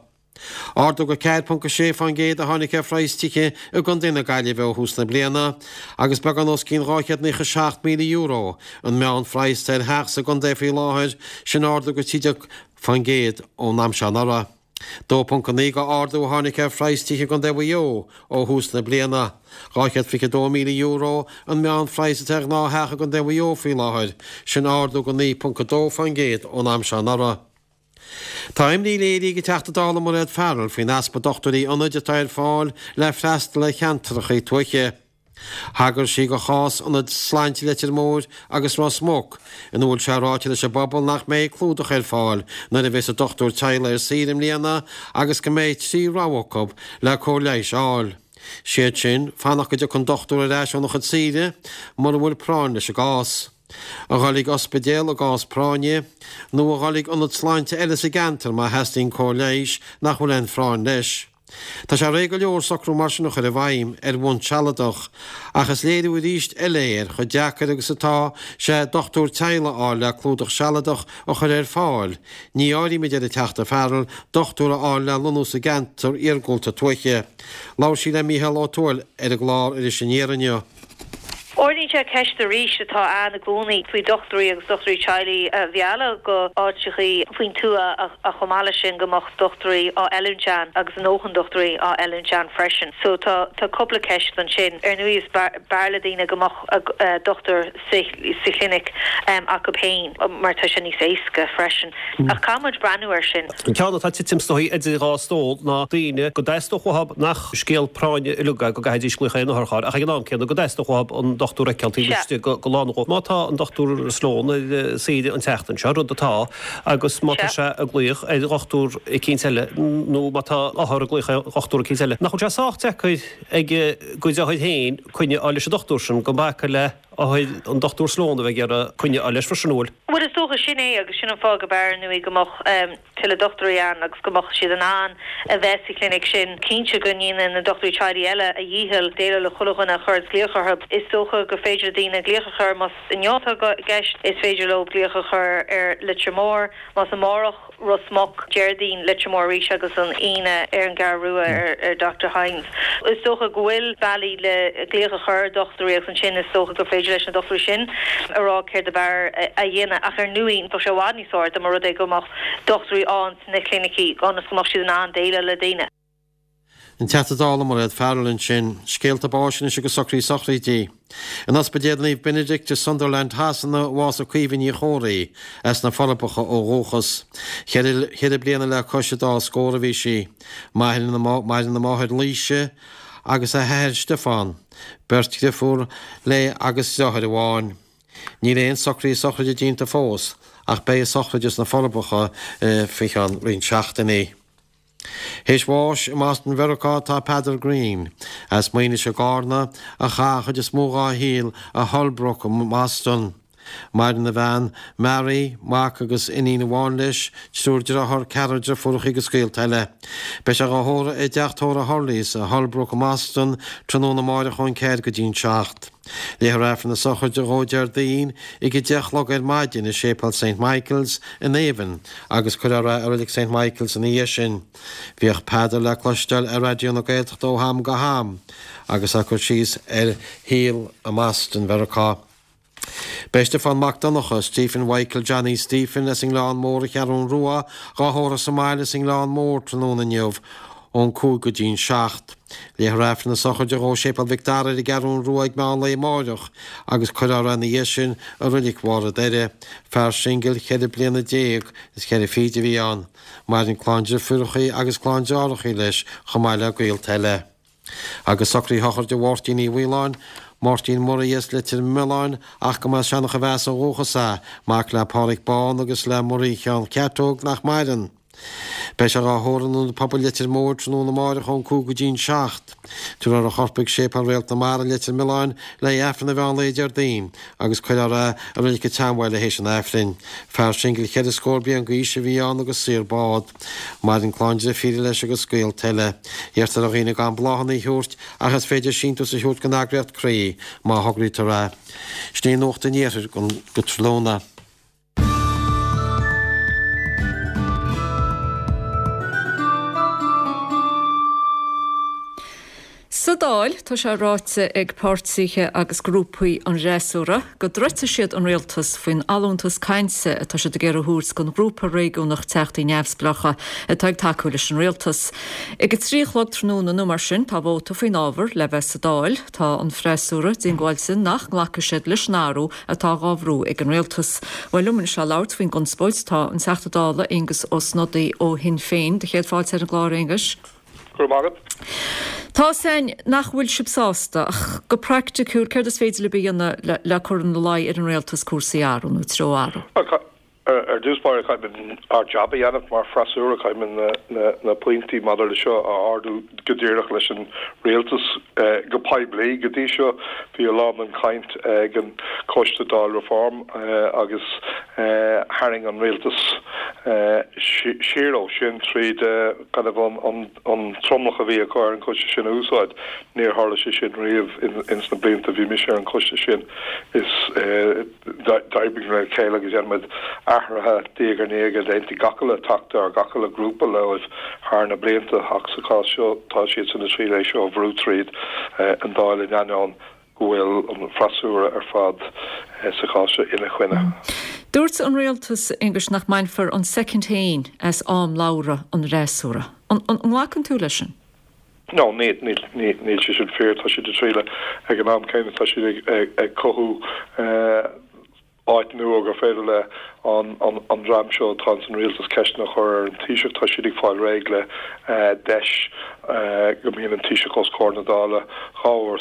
Ardú 4.6% a tháinig ar phraghas tithe i gcontae na Gaillimhe ó thús na bliana agus beagán os cionn €297,000 an meánphraghas ar theach sa gcontae faoi láthair, sin ardú 13% ón am seo anuraidh. 2.9 de ardú a tháinig ar phraghas tithe i gcontae Mhaigh Eo ó thús na bliana. €222,000 an meánphraghas atá ar ghnáth-theach i gcontae Mhaigh Eo faoi láthair, sin ardú 9.2% ón am seo anuraidh. Tá imní léirithe ag an Teachta Dála Mairéad Farrell faoin easpa dochtúirí ionaid atá ar fáil le freastal ar cheantracha tuaithe. Thagair sí do chás Ionad Sláinte Leitir Móir agus Ros Muc, ina bhfuil sé ráite leis an bpobal nach mbeidh clúdach ar fáil nuair a bheas an dochtúir teaghlaigh ar saoire i mbliana agus go mbeidh 3 rogha acu le cóir leighis a fháil. Siad sin, fanacht go dtiocfaidh an dochtúir ar ais óna chuid saoire, mura bhfuil práinn leis an gcás. A dhul ag ospidéal i gcás práinne, nó a dhul ag ionad sláinte eile sa gceantar má theastaíonn cóir leighis nach bhfuil aon phráinn leis. Tá sé réidh go leor socrú mar sin a chur i bhfeidhm ar bhonn sealadach, ach is léiriú arís eile é ar chomh deacair agus atá sé dochtúir teaghlaigh a fháil le clúdach sealadach a chur ar fáil. Ní áirím, a deir an Teachta Farrell, dochtúir a fháil le lonnú sa gceantar iargúlta tuaithe. Labhair sí le Mícheál Ó Tuathail ar an gclár Iris Aniar inniu. Ardaíonn sé ceist arís atá ann i gcónaí faoi dochtúirí agus dochtúirí teaghlaigh a mhealladh go áiteachaí faoin tuath ach chomh maith leis sin go mbeadh dochtúirí á oiliúint ann agus a ndóthain dochtúirí á oiliúint ann freisin. So tá tá cúpla ceist ansin. Ar ndóigh is b'fhearr le daoine go mbeadh dochtúir sa sa chlinic acu féin mar tá sé níos éasca freisin. Ach caithfidh muid breathnú air sin. An ceann atá ag titim is dóigh idir dhá stól ná daoine go dteastódh uathu nach scéal práinne uilig é go gcaithfidís glaoch ar an otharcharr ach ag an am céanna go dteastódh uathu an dochtúr a fheiceáil taobh istigh de lá nó dhó. Má tá an Dr Sloane ar saoire an tseachtain seo, rud atá, agus má tá sé ag glaoch ar dhochtúr eicínt eile nó má tá othar ag glaoch ar dhochtúr eicínt eile, nach bhfuil sé sách deacair ag a gcuid othair féin coinne a fháil leis an dochtúr sin gan bacadh le othair an Dr Sloane a bheith ag iarraidh coinne a fháil leis freisin, an bhfuil? Bhuel, is dócha sin é agus sin an fáth go b'fhearr, ar ndóigh, go mbeadh tuilleadh dochtúirí ann agus go mbeadh siad in ann a bheith sa chlinic sin. Cinnte go ndéanann na dochtúirí teaghlaigh eile a dhícheall déileáil le chuile dhuine a chuireanns glaoch orthu. Is dócha gur féidir le daoine glaoch a chur más inniu atá i gceist, is féidir leo glaoch a chur ar Leitir Móir, más amárach, Ros Muc, Déardaoin, Leitir Móir arís agus an Aoine ar an gCeathrú Rua ar Doctor Hynes. Is dócha go bhfuil bealaí le glaoch a chur ar dhochtúirí agus ansin is dócha gur féidir leis na dochtúirí sin a rá céard ab fhearr a dhéanamh ach ar ndóigh bheadh sé i bhfad níos fearr dá mba rud é go mbeadh dochtúirí ann sna clinicí ionas go mbeadh siad in ann déileáil le daoine. An Teachta Dála Mairéad Farrell ansin. Scéalta báis anois agus socruithe sochraidí. In Ospidéal Naomh Benedict i Sunderland Shasana a bhásaigh Caoimhe Ní Chomhraí, as na Forbacha ó dhúchas. Cheithre bliana le cois an dá scór a bhí sí. Maireann a máthair Laoise agus a hathair Stiofán, beirt dhriofúr léi agus deartháir amháin. Níl aon socruithe sochraide déanta fós ach beidh a sochraid sna Forbacha faoi cheann roinnt seachtainí. Théis bháis i mBoston Mheiriceá atá Peadar Greene, as Maínis i gCarna, a chaith an chuid is mó dhá shaol i Holbrook i mBoston. Maireann a bhean, Mary, mac agus iníon amháin leis, triúr dearthár, ceathrar deirfiúracha agus gaolta eile. Beidh sé dhá thórramh i dteach tórraimh Hurley's i Holbrook i mBoston tráthnóna amáireach ón 4 go dtí an 7. Léifear Aifreann na sochraide dhó Déardaoin ag 10 a chlog ar maidin i Séipéal Saint Michael's in Avon agus cuirfear é i Reilig Saint Michael's ina dhiaidh sin. Bhíodh Peadar le cloisteáil ar Raidió na Gaeltachta ó ham go ham agus é ag cur síos ar shaol i mBoston Mheiriceá. Beidh Stiofán Mac Donncha, Stephen Mhichael Johnny Stephen as an nGleann Mór an Cheathrún Rua dhá thórramh sa mbaile sa nGleann Mór tráthnóna inniu ón 5 go dtí'n 7. Léifear Aifreann na sochraide dhó i Séipéal Mhic Dara ar an gCeathrún Rua ag meán lae amáireach agus cuirfear é ina dhiaidh sin i Roilic Bharr a' Doire. Fear singil cheithre bliana déag is cheithre fichid a bhí ann. Maireann clann driofúrachaí agus clann deartháireachaí leis chomh maith le gaolta eile. Agus socruithe sochraide Mháirtín Uí Mhaoláin, Máirtín Murray as Leitir Mealláin ach go mba as Seanach a Mheasa ó dhúchas é, mac le Pádhraic Bán agus le Muirí Sheáin Cheartóg nach maireann. Beidh sé dhá thórramh in Ionad Pobail Leitir Móir tráthnóna amáireach ón 5 go dtí'n 7. Tabharfar a chorp chuig Séipéal Réalt na Mara, Leitir Mealláin, le haghaidh Aifreann an mheán lae Déardaoin agus cuirfear é i Reilig an tSeanbhaile théis an Aifrinn. Fear singil cheithre scór bliain d'aois a bhí ann agus saor bád. Maireann clann drifíre leis agus gaolta eile. Iarrtar ar dhaoine gan bláthanna a thabhairt ach is féidir síntiús a thabhairt don eagraíocht Croí má thograítear é. Sin í Nuacht an Iarthair go tráthnóna. Sa Dáil, tá sé ráite ag páirtithe agus grúpaí an fhreasúra go dtroidfidh siad an rialtas faoin allúntas cainte atá siad ag iarraidh a thabhairt don ghrúpa réigiúnach Teachtaí Neamhspleácha atá ag tacú leis an rialtas. Ag a 3 a chlog tráthnóna nó mar sin tá vóta faoin ábhar le bheith sa Dáil. Tá an freasúra diongbháilte nach nglacfaidh siad leis an athrú atá dhá bhrú ag an rialtas. Bhuel, liom anois le labhairt faoin gconspóid tá an Teachta Dála Aengus Ó Snodaigh ó Shinn Féin. Do chéad fáilte ar an gclár, a Aonghuis. Go raibh maith agat. Tá a fhios againn nach bhfuil sibh sásta, ach go praiticiúil, céard is féidir libh a dhéanamh le cur ina luí ar an rialtas cúrsaí a athrú nó treo a athrú? Ar dtús báire, caithfimid ár jab a dhéanamh mar freasúra, caithfimid na pointí maidir le seo a ardú go díreach leis an rialtas go poiblí. Go dtí seo, bhí a lán den chaint ag an Choiste Dáil Reform agus tharraing an rialtas siar ó sin tríd kind of an tromlach a bhí acu ar an choiste sin a úsáid. Níor tharla sé sin riamh ins na blianta a bhí mise ar an choiste sin. Is. D'oibrigh le chéile agus dhein muid athruithe diaidh ar ndiaidh a d'aontaigh gach uile Teachta or gach uile grúpa leo thar na blianta ach sa chás seo tá siadsan ag triail é seo a bhrú tríd an Dáil in ainneoin go bhfuil an freasúra ar fad sa chás seo ina choinne. Dúirt an rialtas, Aengus, nach mbainfear an soicind féin as am labhartha an fhreasúra. An nglacann tú leis sin? No, níl, níl sé sin fíor. Tá siad ag triail, ag an am céanna tá siad ag cothú áit nua gur féidir le an dream seo atá ins an rialtas ceisteanna a chur ar an Taoiseach. Tá siad ag fáil réidh le deis go mbíonn an Taoiseach os comhair na Dála 2 uair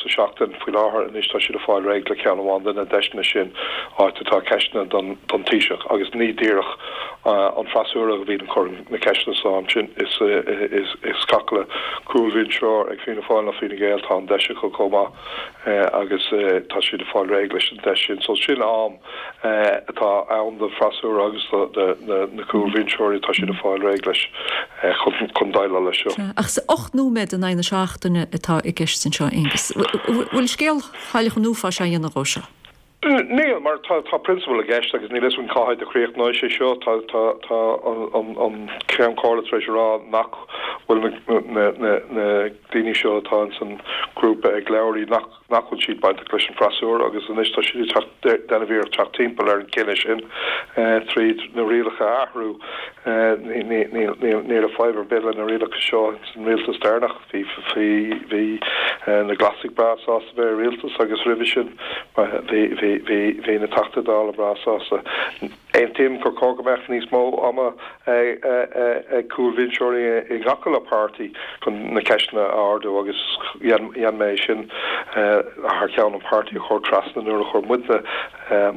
sa seachtain faoi láthair. Anois tá siad ag fáil réidh le ceann amháin de na deiseanna sin, áit atá ceisteanna don Taoiseach agus ní díreach an freasúra a bhíonn ag cur na ceisteanna seo ansin is is gach uile cúlbhinseoir ag Fianna Fáil nó Fine Gael tá an deis acu chomh maith agus tá siad ag fáil réidh leis an deis sin. So sin am atá ann don freasúra agus do na cúlbhinseoirí tá siad ag fáil réidh leis chun déileáil leis seo. Ach is 8 nóiméad in aghaidh na seachtaine atá i gceist anseo, Aengus. Bhfuil scéal chailleach an uafáis á dhéanamh dhó seo? Níl, mar tá tá prionsabal i gceist agus níl a fhios againn cá háit a chríochnóidh sé seo. Tá tá tá an Ceann Comhairle tar éis a rá nach bhfuil na na na na daoine seo atá ins an grúpa ag labhairt nach nach bhfuil siad bainteach leis an freasúra agus anois tá siad ag teacht déanamh iarracht teacht timpeall ar an gcinneadh sin tríd na rialacha a athrú. Ní ní ní ní raibh fadhb ar bith le na rialacha seo ins an rialtas deireanach. Bhí bhí bhí. na Glasaigh breá sásta bheith i rialtas agus roimhe sin bhí na Teachtaí Dála breá sásta. Aontaím gur chóir go mbeadh níos mó ama ag cúlbhinseoirí i ngach uile páirtí chun na ceisteanna a ardú agus dhein mé é sin thar ceann an pháirtí a chur trasna nuair a chuir muidne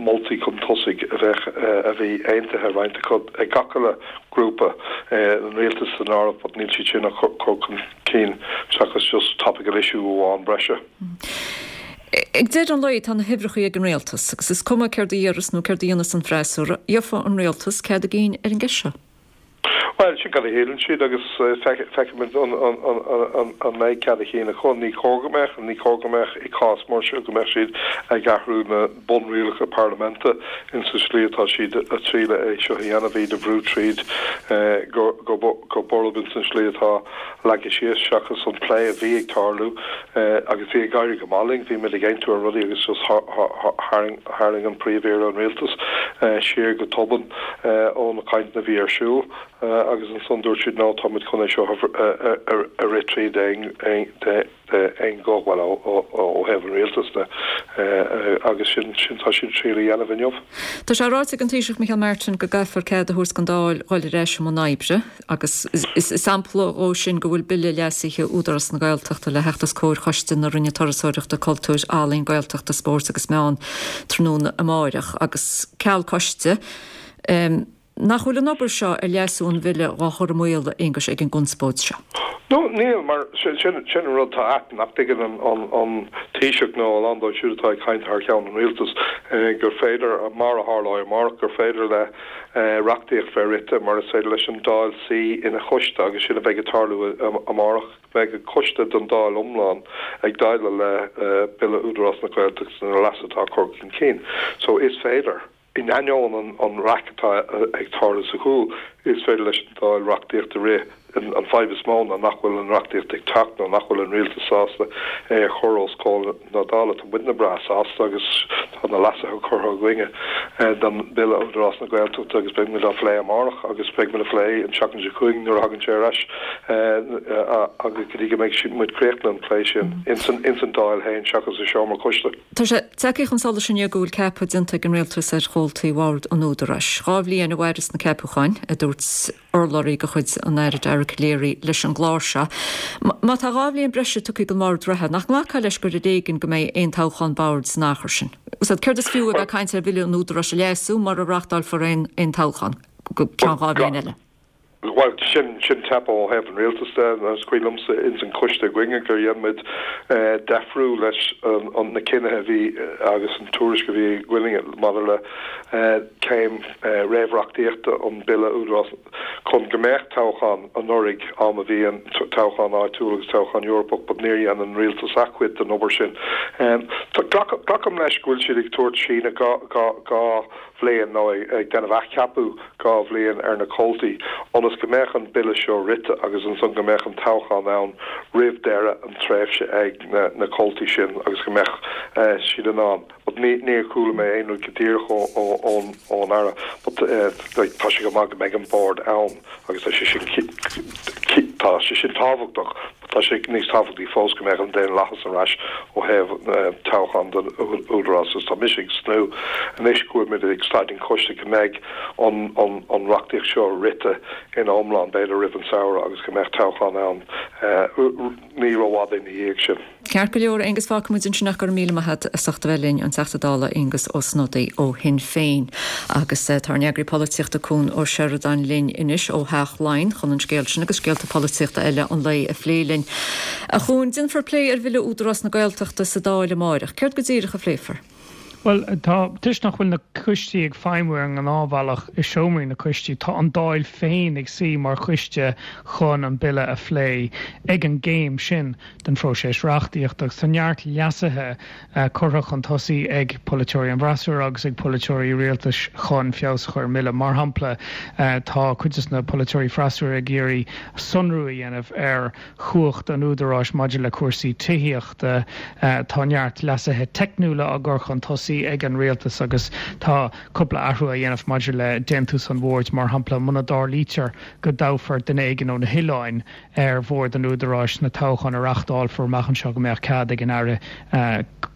moltaí chun tosaigh a bheadh a bhí aontaithe roinnt acu ag gach uile grúpa, an rialtas san áireamh, but níl siad sin á chur chun cinn seachas just topical issue amháin breise. Ag deireadh an lae tá na huimhreacha ag an rialtas agus is cuma céard a dhéarfas nó céard a dhéanfas an freasúra, gheofa an rialtas cead a gcinn ar an gceist seo. Bhuel, sin cad a shíleann siad agus feicfimid an mbeidh cead a chinn acu. Ní chóir go mbeadh, ní chóir go mbeadh i gcás mar seo go mbeadh siad ag athrú na bunrialacha parlaiminte in sa slí atá siad a triail é seo a dhéanamh, iad a bhrú tríd go borb in san slí atá leagtha síos seachas an plé a bhí ag tarlú agus bhí ag éirí go maith linn, bhí muid ag aontú ar rudaí agus just tharraing an Príomh-Aire an Rialtas siar go tobann. ó na cainteanna a bhí ar siúl agus ansan dúirt siad no tá muid chun é seo a rith tríd d'aon ghuth, bhuel ó thaobh an rialtais de agus sin sin tá siad ag triail a dhéanamh inniu. Tá sé ráite ag an Taoiseach Micheál Martin go gcaithfear cead a thabhairt don Dáil dhul ar ais i mbun oibre agus is sampla dhó sin go bhfuil bille leasaithe Údarás na Gaeltachta le theacht os comhair Choiste na Roinne Turasóireachta, Cultúir, Ealaíon, Gaeltachta, Spóirt agus Meán tráthnóna amáireach agus ceal coiste, nach bhfuil an obair seo ar leasú an bhille dhá chur i mbaol, a Aonghuis, ag an gconspóid seo? No, níl, mar sin an rud atá ait, nach dtuigeann an Taoiseach nó a lán dóibh siúd atá ag caint thar cheann an rialtais gur féidir, mar a tharlóidh amárach, gur féidir le reachtaíocht bheith rite mar is féidir leis an Dáil suí ina choiste agus sin a bheidh ag tarlú amárach. Beidh coiste den Dáil iomlán ag déileáil le Bille Údarás na Gaeltachta na leasuithe atá curtha chun cinn. So is féidir, in ainneoin an raic atá ag tarlú sa chúl, is féidir leis an Dáil reachtaíocht a rith. An fadhb is mó ná nach bhfuil an reachtaíocht ag teacht nó nach bhfuil an rialtas sásta é a chur os comhair na Dála. Tá muidne breá sásta agus tá na leasuithe curtha againne don Bhille Údarás na Gaeltachta agus beidh muid á phlé amárach agus beidh muid á phlé an tseachtain seo chugainn nuair a thagann sé ar ais agus go dtí go mbeidh muid críochnaithe an plé sin ins an Dáil féin seachas i seomra coiste. Tá sé tagtha chun solais inniu go bhfuil ceapadh déanta ag an Rialtas ar chomhaltaí Bhord an Údaráis. 2 bhliain a mhairfeas na ceapúcháin, a dúirt urlabhraí de chuid an Aire Dara Calleary leis an gclár seo. Má tá 2 bhliain breise tugtha don bhord reatha, nach nglacfá leis gur ar éigean go mbeidh aon toghchán boird san achar sin? Céard is fiú a bheith ag caint ar bhille an Údaráis a leasú mura reáchtálfar aon toghchán go ceann 2 bhliain eile? Bhuel, sin, sin teip ó thaobh an rialtais de. Is cuimhin liomsa ins an choiste againne gur dhein muid deifriú leis an, na cinnithe a bhí agus an tuairisc a bhí againne maidir le céim réamhreachtaíochta an Bille Údarás chun go mbeadh toghchán anuraidh, am a bhí an toghchán áitiúil agus toghchán Eorpach, but níor dhein an rialtas a chuid den obair sin. Glacaim leis go bhfuil siad ag tabhairt síneadh 2 bhliain nó ag déanamh athcheapadh 2 bhliain ar na comhaltaí ionas go mbeadh an bille seo rite agus ansan go mbeadh an toghchán ann roimh deireadh an tréimhse ag na comhaltaí sin agus go mbeadh siad in ann but ní níor chuala mé aon rud go díreach ón ón Aire but like tá sé go maith go mbeidh an bord ann agus tá sé sin tá sé sin tábhachtach but tá sé níos tábhachtaí fós go mbeadh an daonlathas ar ais ó thaobh toghchán don Údarás agus tá mise ag tnúth anois go bhfuil muid ag staid an choiste go mbeidh an an an reachtaíocht seo rite ina iomlán b'fhéidir roimh an samhradh agus go mbeadh toghchán ann ní rófhada ina dhiaidh sin. Ceart go leor, Aengus, fágfaidh muid ansin ach go raibh míle maith agat as ucht a bheith linn, an Teachta Dála Aengus Ó Snodaigh ó Shinn Féin. Agus tá ár n-eagraí polaitíochta Cuan Ó Seireadáin linn anois ó Theach Laighean chun an scéal sin agus scéalta polaitíochta eile an lae a phlé linn. A Chuain, déanfar plé ar Bhille Údarás na Gaeltachta sa Dáil amáireach. Céard go díreach a phléifear? Bhuel, tá, toisc nach bhfuil na coistí ag feidhmiú ar an ngnáthbhealach i seomraí na coistí, tá an Dáil féin ag suí mar choiste chun an bille a phlé ag an gcéim sin den phróiseas reachtaíochta agus tá neart leasuithe curtha chun tosaigh ag polaiteoirí an bhfreasúra agus ag polaiteoirí rialtais chun feabhas a chur ar an mbille. Mar shampla, tá cuid de na polaiteoirí freasúra ag iarraidh sonrú a dhéanamh ar chumhacht an Údaráis maidir le cúrsaí tithíochta. Tá neart leasuithe teicniúla á gcur chun tosaigh. tosaigh ag an rialtas agus tá cúpla athrú á dhéanamh maidir le déantús an bhoird, mar shampla, muna dtarlaítear go dtoghfar duine éigin ó na hoileáin ar bhord an Údaráis sna toghcháin a reáchtálfar amach anseo go mbeadh cead ag an Aire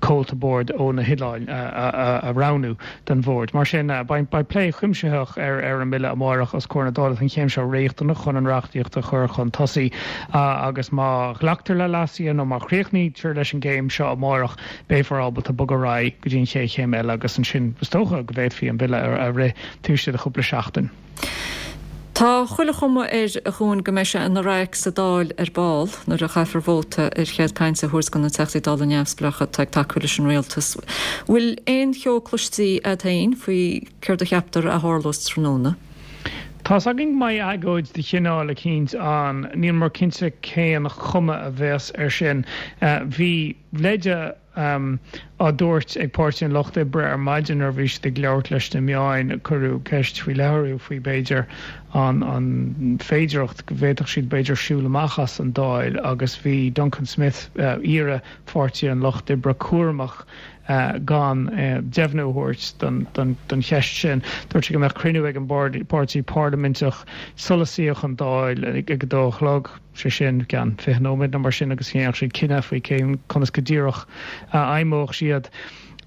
comhalta boird ó na hoileáin a roghnú don bhord. Mar sin, beidh plé cuimsitheach ar an mBille amárach os comhair na Dála. Tá an chéim seo riachtanach chun an reachtaíocht a chur chun tosaigh agus má ghlactar le leasuithe nó má chríochnaítear leis an gcéim seo amárach, beifear ábalta bogadh ar aghaidh go dtí an chéad chéim eile agus ansin is dócha go bhféadfaí an Bille a rith taobh istigh de chúpla seachtain. Tá chuile chuma air, a Chuain, go mbeidh sé ina raic sa Dáil ar ball nuair a chaithfear vóta ar chead cainte a thabhairt do na Teachtaí Dála neamhspleácha atá ag tacú leis an rialtas. Bhfuil aon cheo cloistí a'd féin faoi céard a cheaptar a tharlós tráthnóna? Tá's againn go mbeidh agóid de chineál eicínt ann. Níl muid cinnte cén chuma a bheas air sin. Bhí leide á dtabhairt ag Páirtí an Lucht Oibre ar maidin nuair a bhí siad ag labhairt leis na meáin. Cuireadh ceist faoi leith orthu faoi b'fhéidir an an féidearthacht go bhféadfadh siad b'fhéidir siúl amach as an Dáil agus bhí Duncan Smith, aoire Pháirtí an Lucht Oibre cúramach gan deimhniú a thabhairt don cheist sin. Dúirt sé go mbeadh cruinniú ag an bpáirtí parlaiminteach sula suífeadh an Dáil ag a dó a chlog. sé sin i gceann 20 nóiméad nó mar sin agus dhéanfadh siad cinneadh faoi cén conas go díreach a fheidhmeodh siad.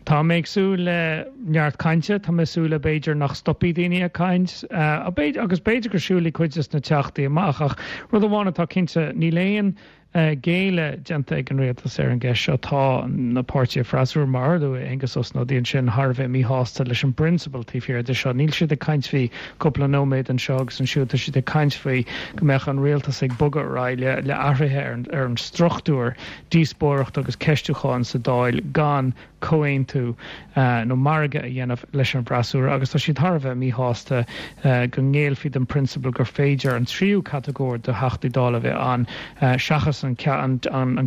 Tá mé ag súil le neart cainte, tá mé ag súil le b'fhéidir nach stopfaidh daoine ag caint, agus b'fhéidir go siúlfaidh cuid des na teachtaí amach ach rud amháin atá cinnte, níl aon ghéilleadh déanta ag an rialtas ar an gceist seo. Tá na páirtithe freasúra, mar a luaigh Aengus Ó Snodaigh ansin, thar a bheith míshásta leis an bprionsabal taobh thiar de seo. Níl siad ag caint faoi cúpla nóiméad anseo agus ansiúd, tá siad ag caint faoi go mbeadh an rialtas ag bogadh ar aghaidh le athruithe ar an struchtúr díospóireachta agus ceistiúcháin sa Dáil gan comhaontú nó margadh a dhéanamh leis an bhfreasúra agus tá siad thar a bheith míshásta go ngéillfí don phrionsabal gur féidir an tríú catagóir de Theachtaí Dála a bheith ann seachas an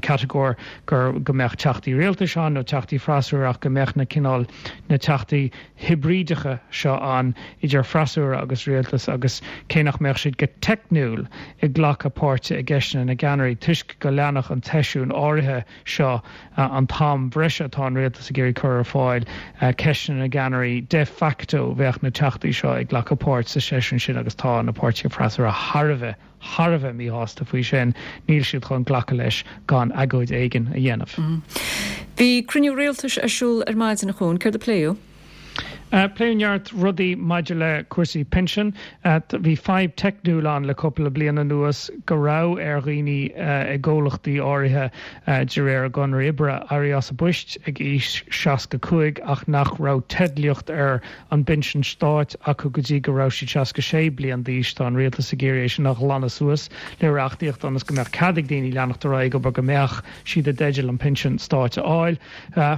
catagóir gur go mbeadh Teachtaí Rialtais ann nó Teachtaí Freasúra ach go mbeadh na cineál na Teachtaí hibrídeacha seo ann idir freasúra agus rialtas agus cé nach mbeadh siad go teicniúil ag glacadh páirte i gceisteanna na gceannairí toisc go leanfadh an tseisiún áirithe seo an t-am breise atá an rialtas ag iarraidh cur ar fáil ceisteanna na gceannairí de facto bheadh na teachtaí seo ag glacadh páirt sa seisiún sin agus tá na páirtithe freasúra thar a bheith thar a bheith míshásta faoi sin, níl siad chun glacadh leis gan agóid éigin a dhéanamh. Bhí cruinniú rialtais ar siúl ar maidin, a Chuain. Céard a pléadh? Pléadh neart rudaí maidir le cúrsaí pinsin. Bhí fadhb teicniúil ann le cúpla bliain anuas go raibh ar dhaoine i gcomhlachtaí áirithe de réir a gconradh oibre éirí as a bpoist ag aois 65 ach nach raibh teidlíocht ar an bpinsean stáit acu go dtí go raibh siad 66 bliain d'aois. Tá an rialtas ag iarraidh é sin a ghlanadh suas le reachtaíocht ionas go mbeadh cead ag daoine leanacht ar aghaidh ag obair go mbeadh siad i dteideal an pinsean stáit a fháil.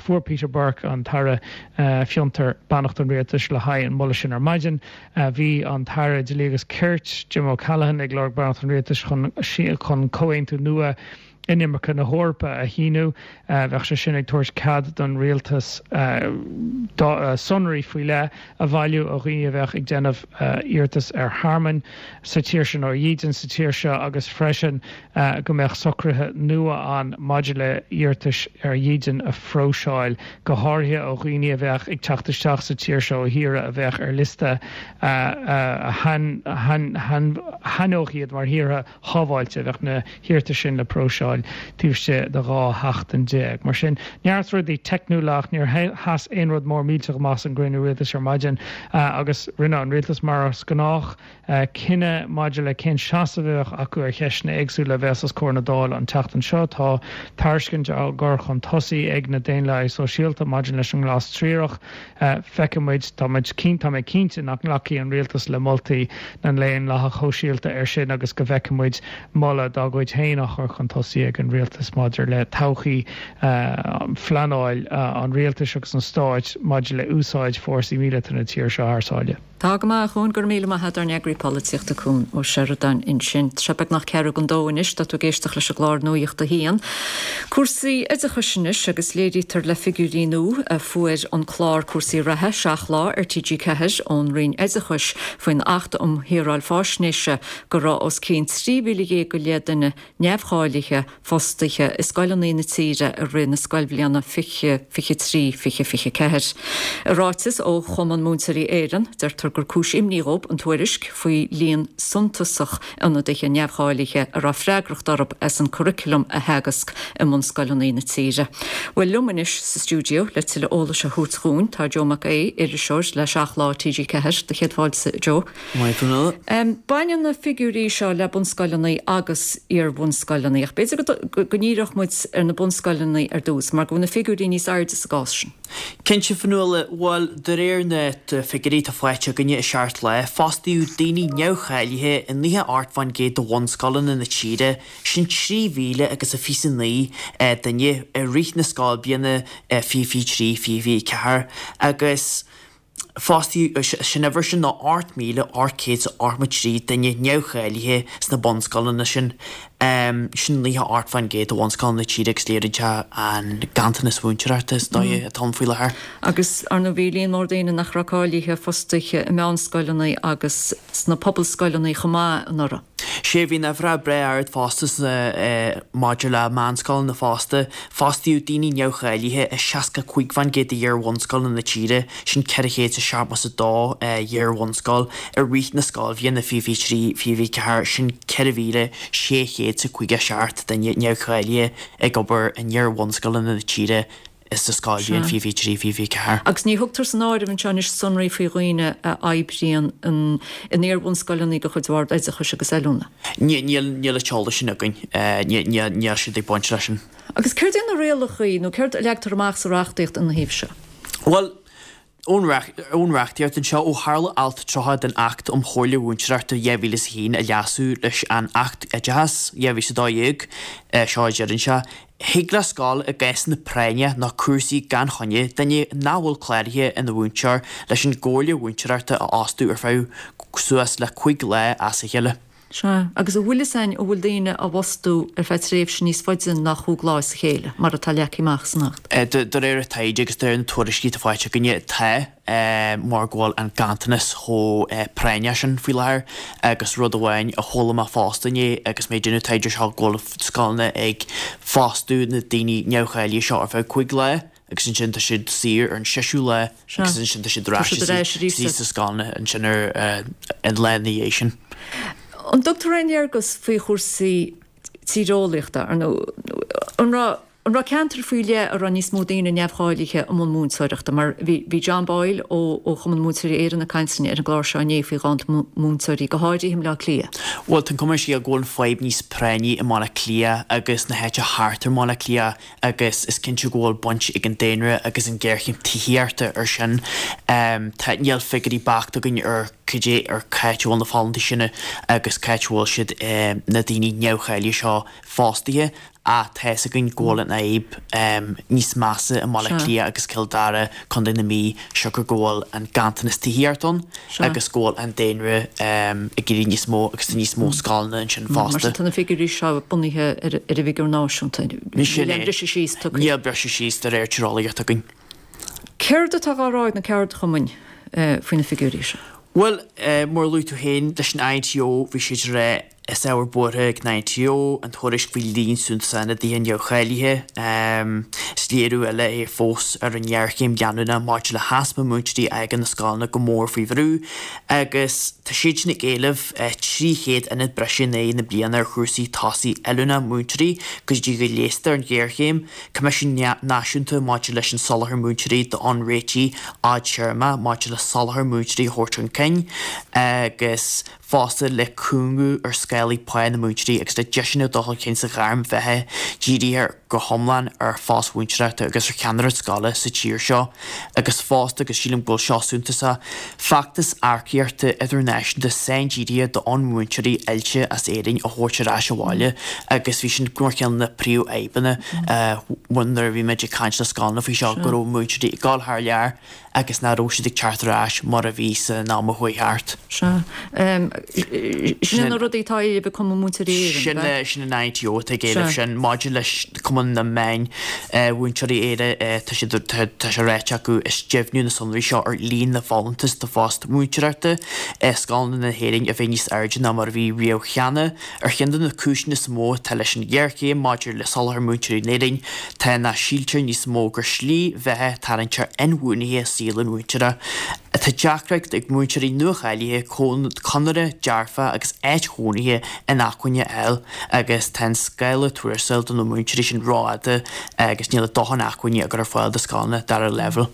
Fuair Peter Burke, an tAire Fiontar, beannacht an rialtais le haghaidh an moladh sin ar maidin. Bhí an tAire Dlí agus Cirt, Jim O'Callaghan, ag lorg beannacht an rialtais chun comhaontú nua inimirce na hEorpa a shíniú. Bheadh sé sin ag tabhairt cead don rialtas sonraí faoi leith a bhailiú ó dhaoine a bheadh ag déanamh iarratas ar thearmann sa tír seo nó ar dhídean sa tír seo agus freisin go mbeadh socruithe nua ann maidir le hiarratais ar dhídean a phróiseáil, go háirithe ó dhaoine a bheadh ag teacht isteach sa tír seo ó thíortha a bheadh ar liosta a shainneodh iad mar thíortha shábháilte. Bheadh na hiarratais sin le próiseáil taobh istigh de 12 sheachtain. Mar sin, neart rudaí teicniúla ach níor sheas aon rud mór millteach amach san gcruinniú rialtais ar maidin agus rinne an rialtas, mar is gnách, cinneadh maidir le cén seasamh a bheadh acu ar cheisteanna éagsúla a bheas os comhair na Dála an tseachtain seo. Tá tairiscint á gcur chun tosaigh ag na Daonlathaithe Sóisialta maidir leis an nGlas Triarach. Feicfidh muid. Tá muid tá mé cinnte nach nglacfaidh an rialtas le moltaí na nDaonlathach Shóisialta air sin agus go bhfeicfidh muid moladh dá gcuid féin á chur chun tosaigh ag an rialtas maidir le todhchaí phleanáil an rialtais agus an stáit maidir le úsáid fórsaí míleata na tíre seo thar sáile. Tá go maith, a Chuain, go raibh míle maith a't, ár n-eagraí polaitíochta Cuan Ó Seireadáin ansin. Tá sé beagnach ceathrú don dó anois, tá tú ag éisteacht leis an gclár Nuacht a hAon. Cúrsaí oideachais anois agus léirítear le figiúirí nua a fuair an clár Cúrsaí Reatha, 7 Lá ar TG4 ón Roinn Oideachais faoin Acht um Shaoráil Faisnéise go raibh os cionn 13,000 go leith duine neamhcháilithe fostaithe i scoileanna na tíre i rith na scoilbhliana 2023, 2024. I ráiteas ó Chumann Múinteoirí Éireann, deirtear gur cúis imní dhóibh an tuairisc faoi líon suntasach ionadaithe neamhcháilithe a raibh freagracht orthu as an curriculum a theagasc i mbunscoileanna na tíre. Bhuel, liom anois sa stiúideo le tuilleadh eolais a thabhairt dhúinn tá Joe Mac Aodha, iriseoir le 7 Lá TG4. Do chéad fáilte, a Joe. Maith thú. Baineann na figiúirí seo le bunscoileanna agus iar-bhunscoileanna, ach b'fhéidir go ndíreodh muid ar na bunscoileanna ar dtús, mar go bhfuil na figiúirí níos airde sa gcás sin. Cinnte, Fionnuala, bhuel, de réir na figiúirí atá faighte againne i Seacht Lá, fostaíodh daoine neamhcháilithe i 98% de bhunscoileanna na tíre, sin 3,000 agus a 29 duine, i rith na scoilbhliana 2023, 2024, agus. Fostaíodh, sin uimhir sin ná 8,883 duine neamhcháilithe sna bunscoileanna sin. Sin 98% de bhunscoileanna na tíre agus léiríonn sé an ganntanas mhúinteoireachta is dóigh atá ann faoi láthair. Agus, ar ndóigh, bhí líon mór daoine nach raibh cáilithe fostaithe i meánscoileanna agus sna pobalscoileanna chomh maith anuraidh. Sea, bhí an uimhir breá ard fosta sna, maidir le meánscoileanna fosta. Fostaíodh daoine neamhcháilithe i 65% d'iar-bhunscoileanna na tíre, sin 472 iar-bhunscoil, i rith na scoilbhliana 2023, 2024, sin 4,657 duine neamhcháilithe ag obair in iar-bhunscoileanna na tíre sa scoilbhliain 2023, 2024. Agus ní thugtar san áireamh anseo anois sonraí faoi dhaoine a oibríonn in iar-bhunscoileanna de chuid Bhord Oideachais agus Oiliúna. Níl an t-eolas sin againn. Níl siad ag baint leis sin. Agus céard iad na rialacha nó céard a leagtar amach sa reachtaíocht ina thaobh seo? Bhuel, ón reachtaíocht anseo, ó tharla Alt 30 den Acht um Chomhairle Mhúinteoireachta 2001 a leasú leis an Acht Oideachais 2012, seo a deireann sé, Thig le scoil i gcásanna práinne nó cúrsaí gan choinne duine nach bhfuil cláraithe ina mhúinteoir leis an gComhairle Mhúinteoireachta a fhostú ar feadh suas le 5 lá as a chéile. Sea, agus an bhfuil fhios a'inn an bhfuil daoine á bhfostú ar feadh tréimhse níos faide ná chúig lá as a chéile, mar atá leagtha amach san Acht? De réir an taighde agus de réir na tuairiscí atá faighte againne, tá, mar go bhfuil an ganntanas chomh práinneach sin faoi láthair agus rud amháin a chuala mé fosta inné agus mé ag déanamh taighde seo go bhfuil scoileanna ag fostú na daoine neamhcháilithe seo ar feadh cúig lá. agus ansin tá siad saor ar an seisiú lá agus ansin tá siad ar ais istigh sa scoil ansin ar an lá ina dhiaidh sin. An dtugtar aon léargas faoi chúrsaí tíreolaíochta, ar ndóigh, an raibh an raibh ceantair faoi leith a raibh níos mó daoine neamhcháilithe i mbun múinteoireachta? Mar bhí bhí John Boyle ó ó Chumann Múinteoirí Éireann ag caint linn ar an gclár seo inné faoi ghanntan múinteoirí, go háirithe i mBleá Cliath. Bhuel, tá an cuma ar an scéal go bhfuil an fadhb níos práinní i mBaile Átha Cliath agus na háite thart ar mBaile Átha Cliath agus is cinnte go bhfuil baint ag an daonra agus an ghéarchéim tithíochta ar sin. Tá, níl figiúirí beacht againn ar cad é, ar c'áit a bhfuil na folúntais sin agus c'áit a bhfuil siad, na daoine neamhcháilithe seo fostaithe ach tá fhios againn go bhfuil an fhadhb níos measa i mBaile Átha Cliath agus Cill Dara, Contae na Mí, siocair go bhfuil an ganntanas tithíochta ann. agus go bhfuil an daonra ag éirí níos mó agus tá níos mó scoileanna ansin fosta. Mar sin tá na figiúirí seo bunaithe ar an bhfigiúr náisiúnta. Níl aon briseadh síos tugtha. Níl briseadh síos de réir tíreolaíocht againn. Céard atá á rá ag na ceardchumainn faoi na figiúirí seo? Bhuel, mar a luaigh tú féin, leis an INTO bhí siad ag rá Is ábhar buartha ag an INTO an tuairisc faoi líon suntasach ionadaithe neamhcháilithe. Is léiriú eile é fós ar an ngéarchéim leanúnach maidir le heaspa múinteoirí a fhágann na scoileanna go mór faoi bhrú agus tá siad sin ag éileamh 300 ionad breise in aghaidh na bliana ar chúrsaí tosaigh oiliúna múinteoirí go dtí go leigheastar an ghéarchéim. Coimisiún Náisiúnta maidir leis an Soláthar Múinteoirí d'fhonn réitigh fhadtéarmacha maidir le soláthar múinteoirí a thabhairt chun cinn agus. fosta le cúngú ar scálaí pá na múinteoirí agus le deiseanna dul chun cinn sa ghairm bheatha dírithe go hiomlán ar phost mhúinteoireachta agus ar cheannaireacht scoile sa tír seo agus fosta, agus sílim go bhfuil seo suntasach, feachtas earcaíochta idirnáisiúnta saindírithe d'fhonn múinteoirí oilte as Éirinn a thabhairt ar ais abhaile agus bhí sin mar cheann de na príomhfhadhbanna nuair a bhí muid ag caint le scoileanna faoi seo go raibh múinteoirí ag dul thar lear agus nach raibh siad ag teacht ar ais mar a bhí san am a chuaigh thart. Sea. Sin na rudaí atá á éileamh ag Cumann Múinteoirí Éireann, ab ea? Sin an INTO atá ag éileamh sin. Maidir leis Cumann. Cumann na Meán-Mhúinteoirí Éire, tá siad, tá sé ráite acu, is deimhniú na sonraí seo ar líon na bhfolúntas do phost múinteoireachta i scoileanna na hÉireann a bheith níos airde ná mar a bhí riamh cheana. Ar cheann de na cúiseanna is mó atá leis an ghéarchéim maidir le soláthar múinteoirí in Éirinn tá nach síltear níos mó gur slí bheatha tarraingteach inbhuanaithe saol an mhúinteora. Tá deacracht ag múinteoirí nuacháilithe conradh dearfa agus áit chónaithe inacmhainne a fháil agus tá an scála tuarastail do na múinteoirí sin rófhada agus níl a dóthain acmhainní á gcur ar fáil do scoileanna dara leibhéal.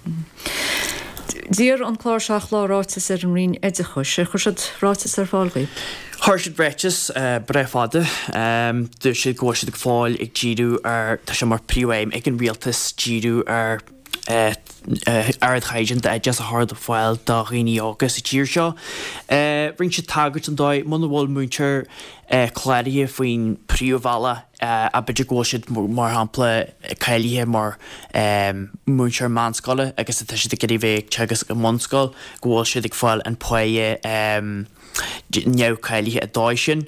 D'iarr an clár Seacht Lá ráiteas ar an Roinn Oideachais. Ar chuir siad ráiteas ar fáil dhaoibh? Chuir siad ráiteas breá fada. Dúirt siad go bhfuil siad go fóill ag díriú ar, tá sé mar phríomhaidhm ag an rialtas díriú ar ardchaighdeán d'oideachas a chur ar fáil do dhaoine óga sa tír seo. Rinne siad tagairt don dóigh muna bhfuil múinteoir cláraithe faoin príomhbhealach, b'fhéidir go bhfuil siad, mar shampla, cáilithe mar mhúinteoir meánscoile agus tá siad ag iarraidh bheith ag teagasc i mbunscoil, go bhfuil siad ag fáil an páighe neamhcháilithe an dóigh sin.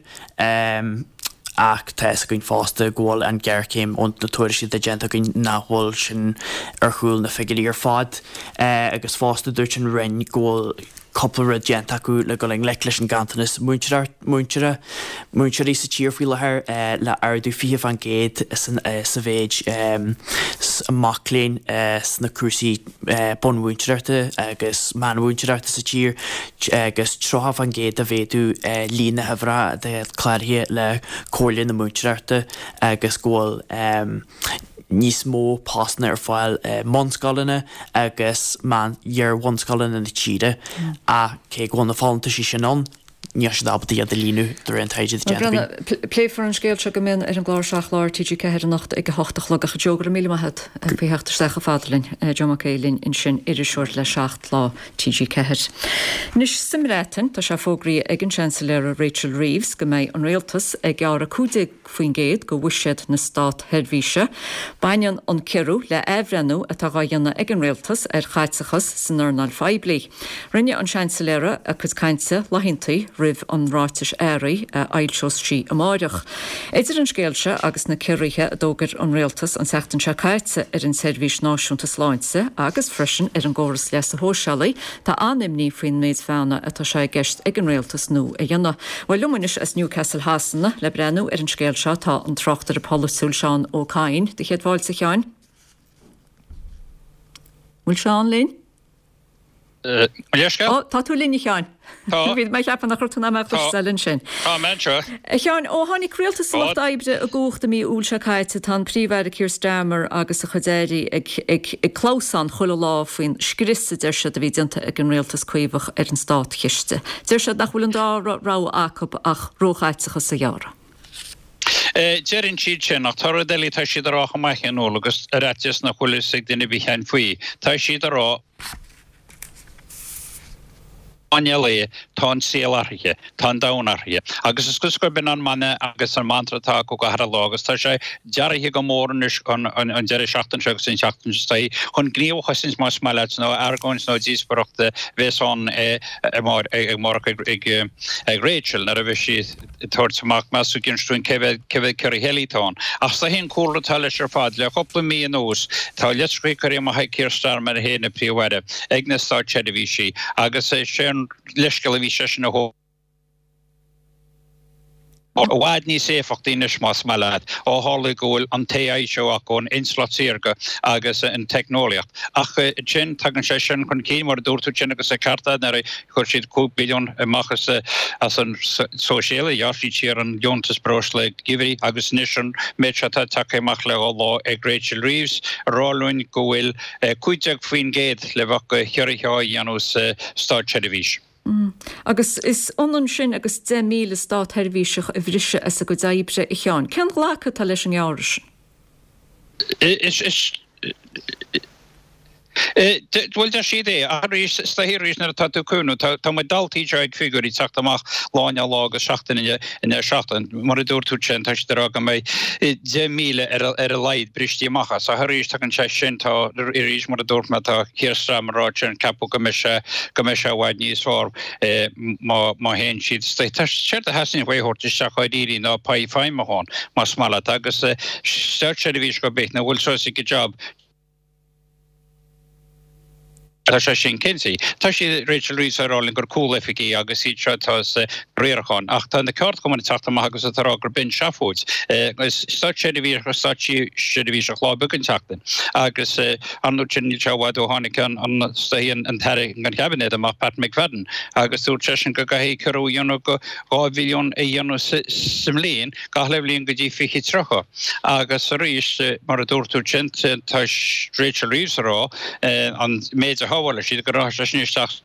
Ach tá fhios againn fosta go bhfuil an ghéarchéim ó na tuairiscí atá déanta againn nach bhfuil sin ar chúl na figiúirí ar fad. Agus fosta dúirt an Roinn go bhfuil cúpla rud déanta acu le dul i ngleic leis an ganntanas múinteoirí sa tír faoi láthair, le ardú 20% sa mhéid mac léinn sna cúrsaí bunmhúinteoireachta agus meánmhúinteoireachta sa tír agus 30% de mhéadú líon na huimhreacha atá cláraithe le Comhairle na Múinteoireachta agus go bhfuil níos mó postanna ar fáil i mbunscoileanna agus meán iar-bhunscoileanna na tíre ach cé go bhfuil na folúntaisí sin ann, níl siad ábalta iad a líonadh de réir an taighde atá déanta againn. Pléifear an scéal seo go mion ar an gclár Seacht Lá ar TG4 anocht ag 8 a chlog ach a Joe, go raibh míle maith agat faoi theacht isteach chomh fada linn. Joe Mac Aodha linn ansin, iriseoir le Seacht Lá TG4. Anois sa mBreatain, tá sé fógraithe ag an Seansailéara Rachel Reeves go mbeidh an rialtas ag gearradh 15% de bhuiséad na státsheirbhíse. Baineann an ciorrú le athbhreithniú atá dhá dhéanamh ag an rialtas ar chaiteachas san earnáil phoiblí. Rinne an Seansailéara a cuid cainte laethanta roimh an ráiteas earraigh a fhoilseos sí amáireach. Idir an scéal seo agus na ciorruithe a d'fhógair an rialtas an tseachtain seo caite ar an tSeirbhís Náisiúnta Sláinte agus freisin ar an gcóras leasa shóisialaigh, tá an-imní faoin méid feannadh atá sé i gceist ag an rialtas nua a dhéanamh. Bhuel, liom anois as Newcastle Shasana le breathnú ar an scéal seo tá an tráchtaire polaitiúil Seán Ó Cadhain. Do chéad fáilte, a Sheáin. Bhfuil Seán linn? Mo leithscéal? Ó, tá tú linn, a Sheáin. Tá. Bhí mé ag ceapadh nach raibh tú in ann mé a chloisteáil ansin. Tá mé anseo. A Sheáin, ó tháinig Rialtas an Lucht Oibre i gcumhacht i mí Iúil seo caite, tá an Príomh-Aire Keir Starmer agus a chuid airí ag, ag, ag clamhsán chuile lá faoin scrios a deir siad a bhí déanta ag an Rialtas Caomhach ar an státchiste. Deir siad nach bhfuil an dara rogha acu ach róchaiteachas a ghearradh. Deireann siad sin, ach tá rud eile atá siad a rá chomh maith, Fionnuala, agus ar fhaitíos nach bhfuil fhios ag duine ar bith cheana faoi, tá siad a rá, Eile é, tá an saol athraithe, tá an domhan athraithe. Agus is cosúil gurb in an mana agus an mantra atá acu gach uile lá agus tá sé dearaithe go mór anois an deireadh seachtaine seo agus an tseachtain seo chun gníomh a chosaint más maith leat nó argóint nó díospóireacht a bheas ann amárach ag Rachel nuair a bheidh sí ag tabhairt amach meas tú inis dúinn cé mhéad cé mhéad ciorruithe eile atá ann. Ach is é an cúlra atá leis ar fad, le cúpla mí anuas, tá litreacha curtha amach ag Keir Starmer féin, an Príomh-Aire, ag na státseirbhísigh agus is é an leithscéal a bhí seisean a thabhairt, i bhfad níos éifeachtaí anois más maith leat, ó tharla go bhfuil an t-AI seo acu, an intleacht saorga agus an teicneolaíocht. Ach ansin tagann sé sin chun cinn, mar a dúirt tú ansin agus an ceart agat, nuair a Chuir siad 5 billiún amach as an sóisialaigh, ghearr siad siar an deontas breosla geimhridh agus anois an méid seo atá tagtha amach le dhá lá ag Rachel Reeves ag rá linn go bhfuil 15% le bheith de chiorruithe á dhéanamh sa státseirbhís. Agus is ionann sin agus 10,000 státsheirbhíseach a bhriseadh as a gcuid oibre, a Sheáin. Cén ghlacadh atá leis an ngearradh sin? Is. Bhuel, deir siad é. Ach arís, is dóichí arís nuair atá tú ag cuimhniú, tá muid dalltaí anseo ag figiúirí ag teacht amach lá i ndiaidh lá agus seachtain i ndiaidh seachtain. Mar a dúirt tú ansin, tá siad ag rá go mbeidh 10,000 ar a laghad bristí amach as. Ach arís, tagann sé sin, tá, arís mar a dúirt mé, tá Keir Starmer ag rá ansin, ceapadh go mbeidh sé, go mbeidh sé i bhfad níos fearr má, má théann siad. Tá, séard a theastaíonn uaidh a thabhairt isteach dháiríre ná pay feidhmiúcháin, más maith leat, agus státseirbhíseach ar bith nach bhfuil sásta ag a job, Tá sé sin cinnte. Tá sí, Rachel Reeves, ag rá linn gur cúloifigigh agus iad seo atá sa riarachán ach tá na ceardchumainn ag teacht amach agus ag rá gur b'in seafóid. Is státseirbhíseach is státseirbhíseach lá beag an tseachtain agus ar ndóigh sin níl sé i bhfad ó tháinig an an tAire an Chaibinéad amach, Pat McFadden, agus dúirt seisean go gcaithfidh ciorrú a dhéanamh go 2 bhilliún a dhéanamh sa mbliain gach uile bhliain go dtí 2030. Agus arís, mar a dúirt tú ansin, tá Rachel Reeves ag rá an méid a shábhálfaidh siad go rachaidh sé sin isteach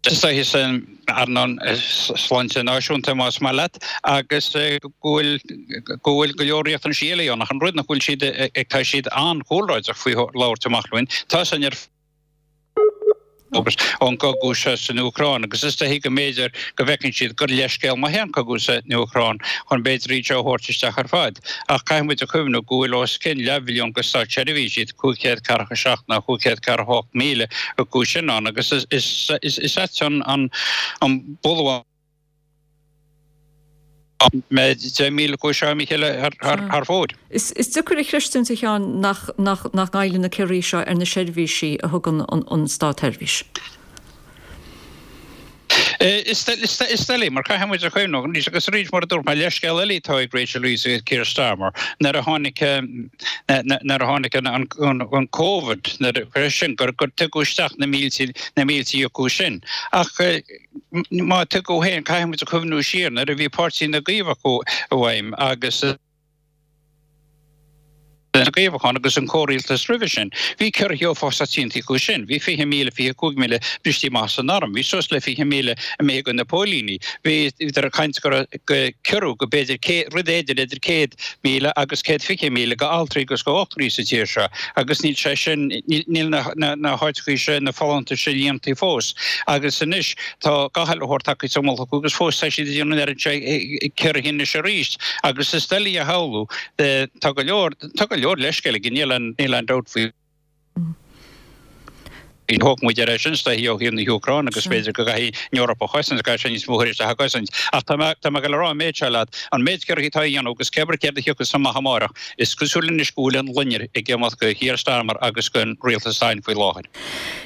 is dóiche san earnáil sláinte náisiúnta, más maith leat, agus go bhfuil go bhfuil go leor riachtanaisí eile ann. Ach an rud nach bhfuil siad ag tá siad an-chúlráideach faoi labhairt amach linn, tá san ar agus ón gcogadh seo san Úcráin agus is dóichí go mb'fhéidir go bhfeiceann siad gur leithscéal maith é an cogadh san Úcráin chun b'fhéidir iad seo a thabhairt isteach ar fad. Ach caithfidh muid a chuimhniú go bhfuil os cionn leathmhilliún go státseirbhísigh, 547 nó 548,000 acu sin ann agus is ait an bualadh mbeidh 10,000 acu seo imithe thar fóir. Is deacair a chreistiúint, a Sheáin, nach ngoilleann na ciorruithe seo ar na seirbhísí a thugann an státsheirbhís. Is doiligh, mar caithfidh muid a chuimhniú, arís agus arís, mar a dúirt mé, leithscéal eile atá ag Rachel Reeves agus Keir Starmer, nuair a tháinig nuair a tháinig an Covid, nuair a sin, gur tugadh isteach na mílte na mílte acu sin. Ach Má tugadh féin, caithfidh muid a chuimhniú siar nuair a bhí Páirtí na gCaomhach i bhfeidhm agus na gCaomhach ann agus an comhrialtas roimhe sin. Bhí ciorruithe uafásach déanta acu sin. Bhí 20,000, 25,000 bristí amach san arm. Bhí suas le 20,000 imithe go na póilíní. Bhíodar ag caint go raibh ciorrú go b'fhéidir rud éigin idir 100,000 agus 120,000 go altraí agus go dhochtúirí sa tír seo agus níl sé sin, níl na háiteachaí seo, na folúntais seo líontaí fós agus anois tá gach uile shórt tagtha sa mullach acu agus fós tá siad ag déanamh an oiread seo ciorruithe anois arís agus is doiligh a shamhlú, tá go leor, tá go leor leithscéal aige, níl aon, níl aon dabht faoi. Thóg muid ar é sin is dóichí ó thaobh na hÚcráine agus b'fhéidir go gcaithfidh an Eoraip a chosaint, caithfidh sé níos mó a thabhairt isteach a gcosaint. Ach tá mé tá mé ag dul a rá an méid seo leat, an méid ciorruithe atá á dhéanamh agus cé abair céard a thiocfas amach amárach, is cosúil anois go bhfuil an loinnir ag imeacht go Keir Starmer agus don rialtas atá ann faoi láthair.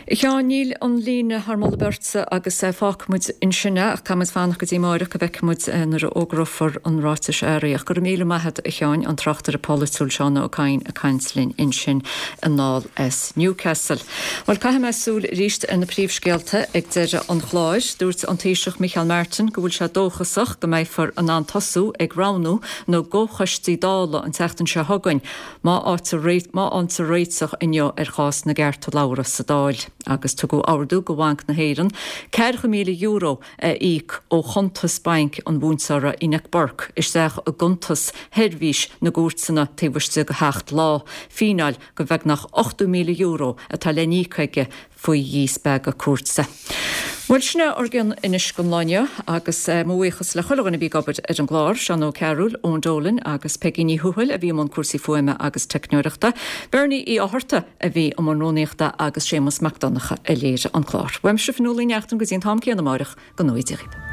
A Sheáin, níl an líne thar moladh beirte agus fágfaidh muid ansin é ach caithfidh muid fanacht go dtí amáireach go bhfeicfidh muid nuair a fhógrófar an ráiteas airí. Ach go raibh míle maith agat a Sheáin, an tráchtaire polaitiúil Seán Ó Cadhain ag caint linn ansin anall as Newcastle. Bhuel, caithfidh mé súil arís ar na príomhscéalta ag deireadh an chláir. Dúirt an Taoiseach Micheál Martin go bhfuil sé dóchasach go mbeifear in ann tosú ag roghnú na gcomhchoistí Dála an tseachtain seo chugainn. Má fhaightear réiteach inniu ar chás na gcearta labhartha sa Dáil, agus tugadh ordú go Bhanc na hÉireann €40,000 a íoc ó chuntas bainc an mhúinteora Enoch Burke isteach i gcuntas sheirbhís na gcúirteanna taobh istigh de sheacht lá, fíneáil go bheagnach €80,000 atá le n-íoc aige faoi dhíspeagadh cúirte. Bhuel, sin é ár gcion anois don lá inniu agus mo bhuíochas le chuile dhuine a bhí ag obair ar an gclár, Seán Ó Cearúil, Eoin Dolan agus Peigí Ní Thuathail a bhí i mbun cúrsaí fuaime agus teicneoireachta, Bernie Uí Fhátharta a bhí i mbun rúnaíochta agus Séamus Mac Donncha a léirigh an clár. Uaimse Fionnuala Ní Neachtain go dtí an t-am céanna amáireach, go ngnóthaí Dia dhaoibh.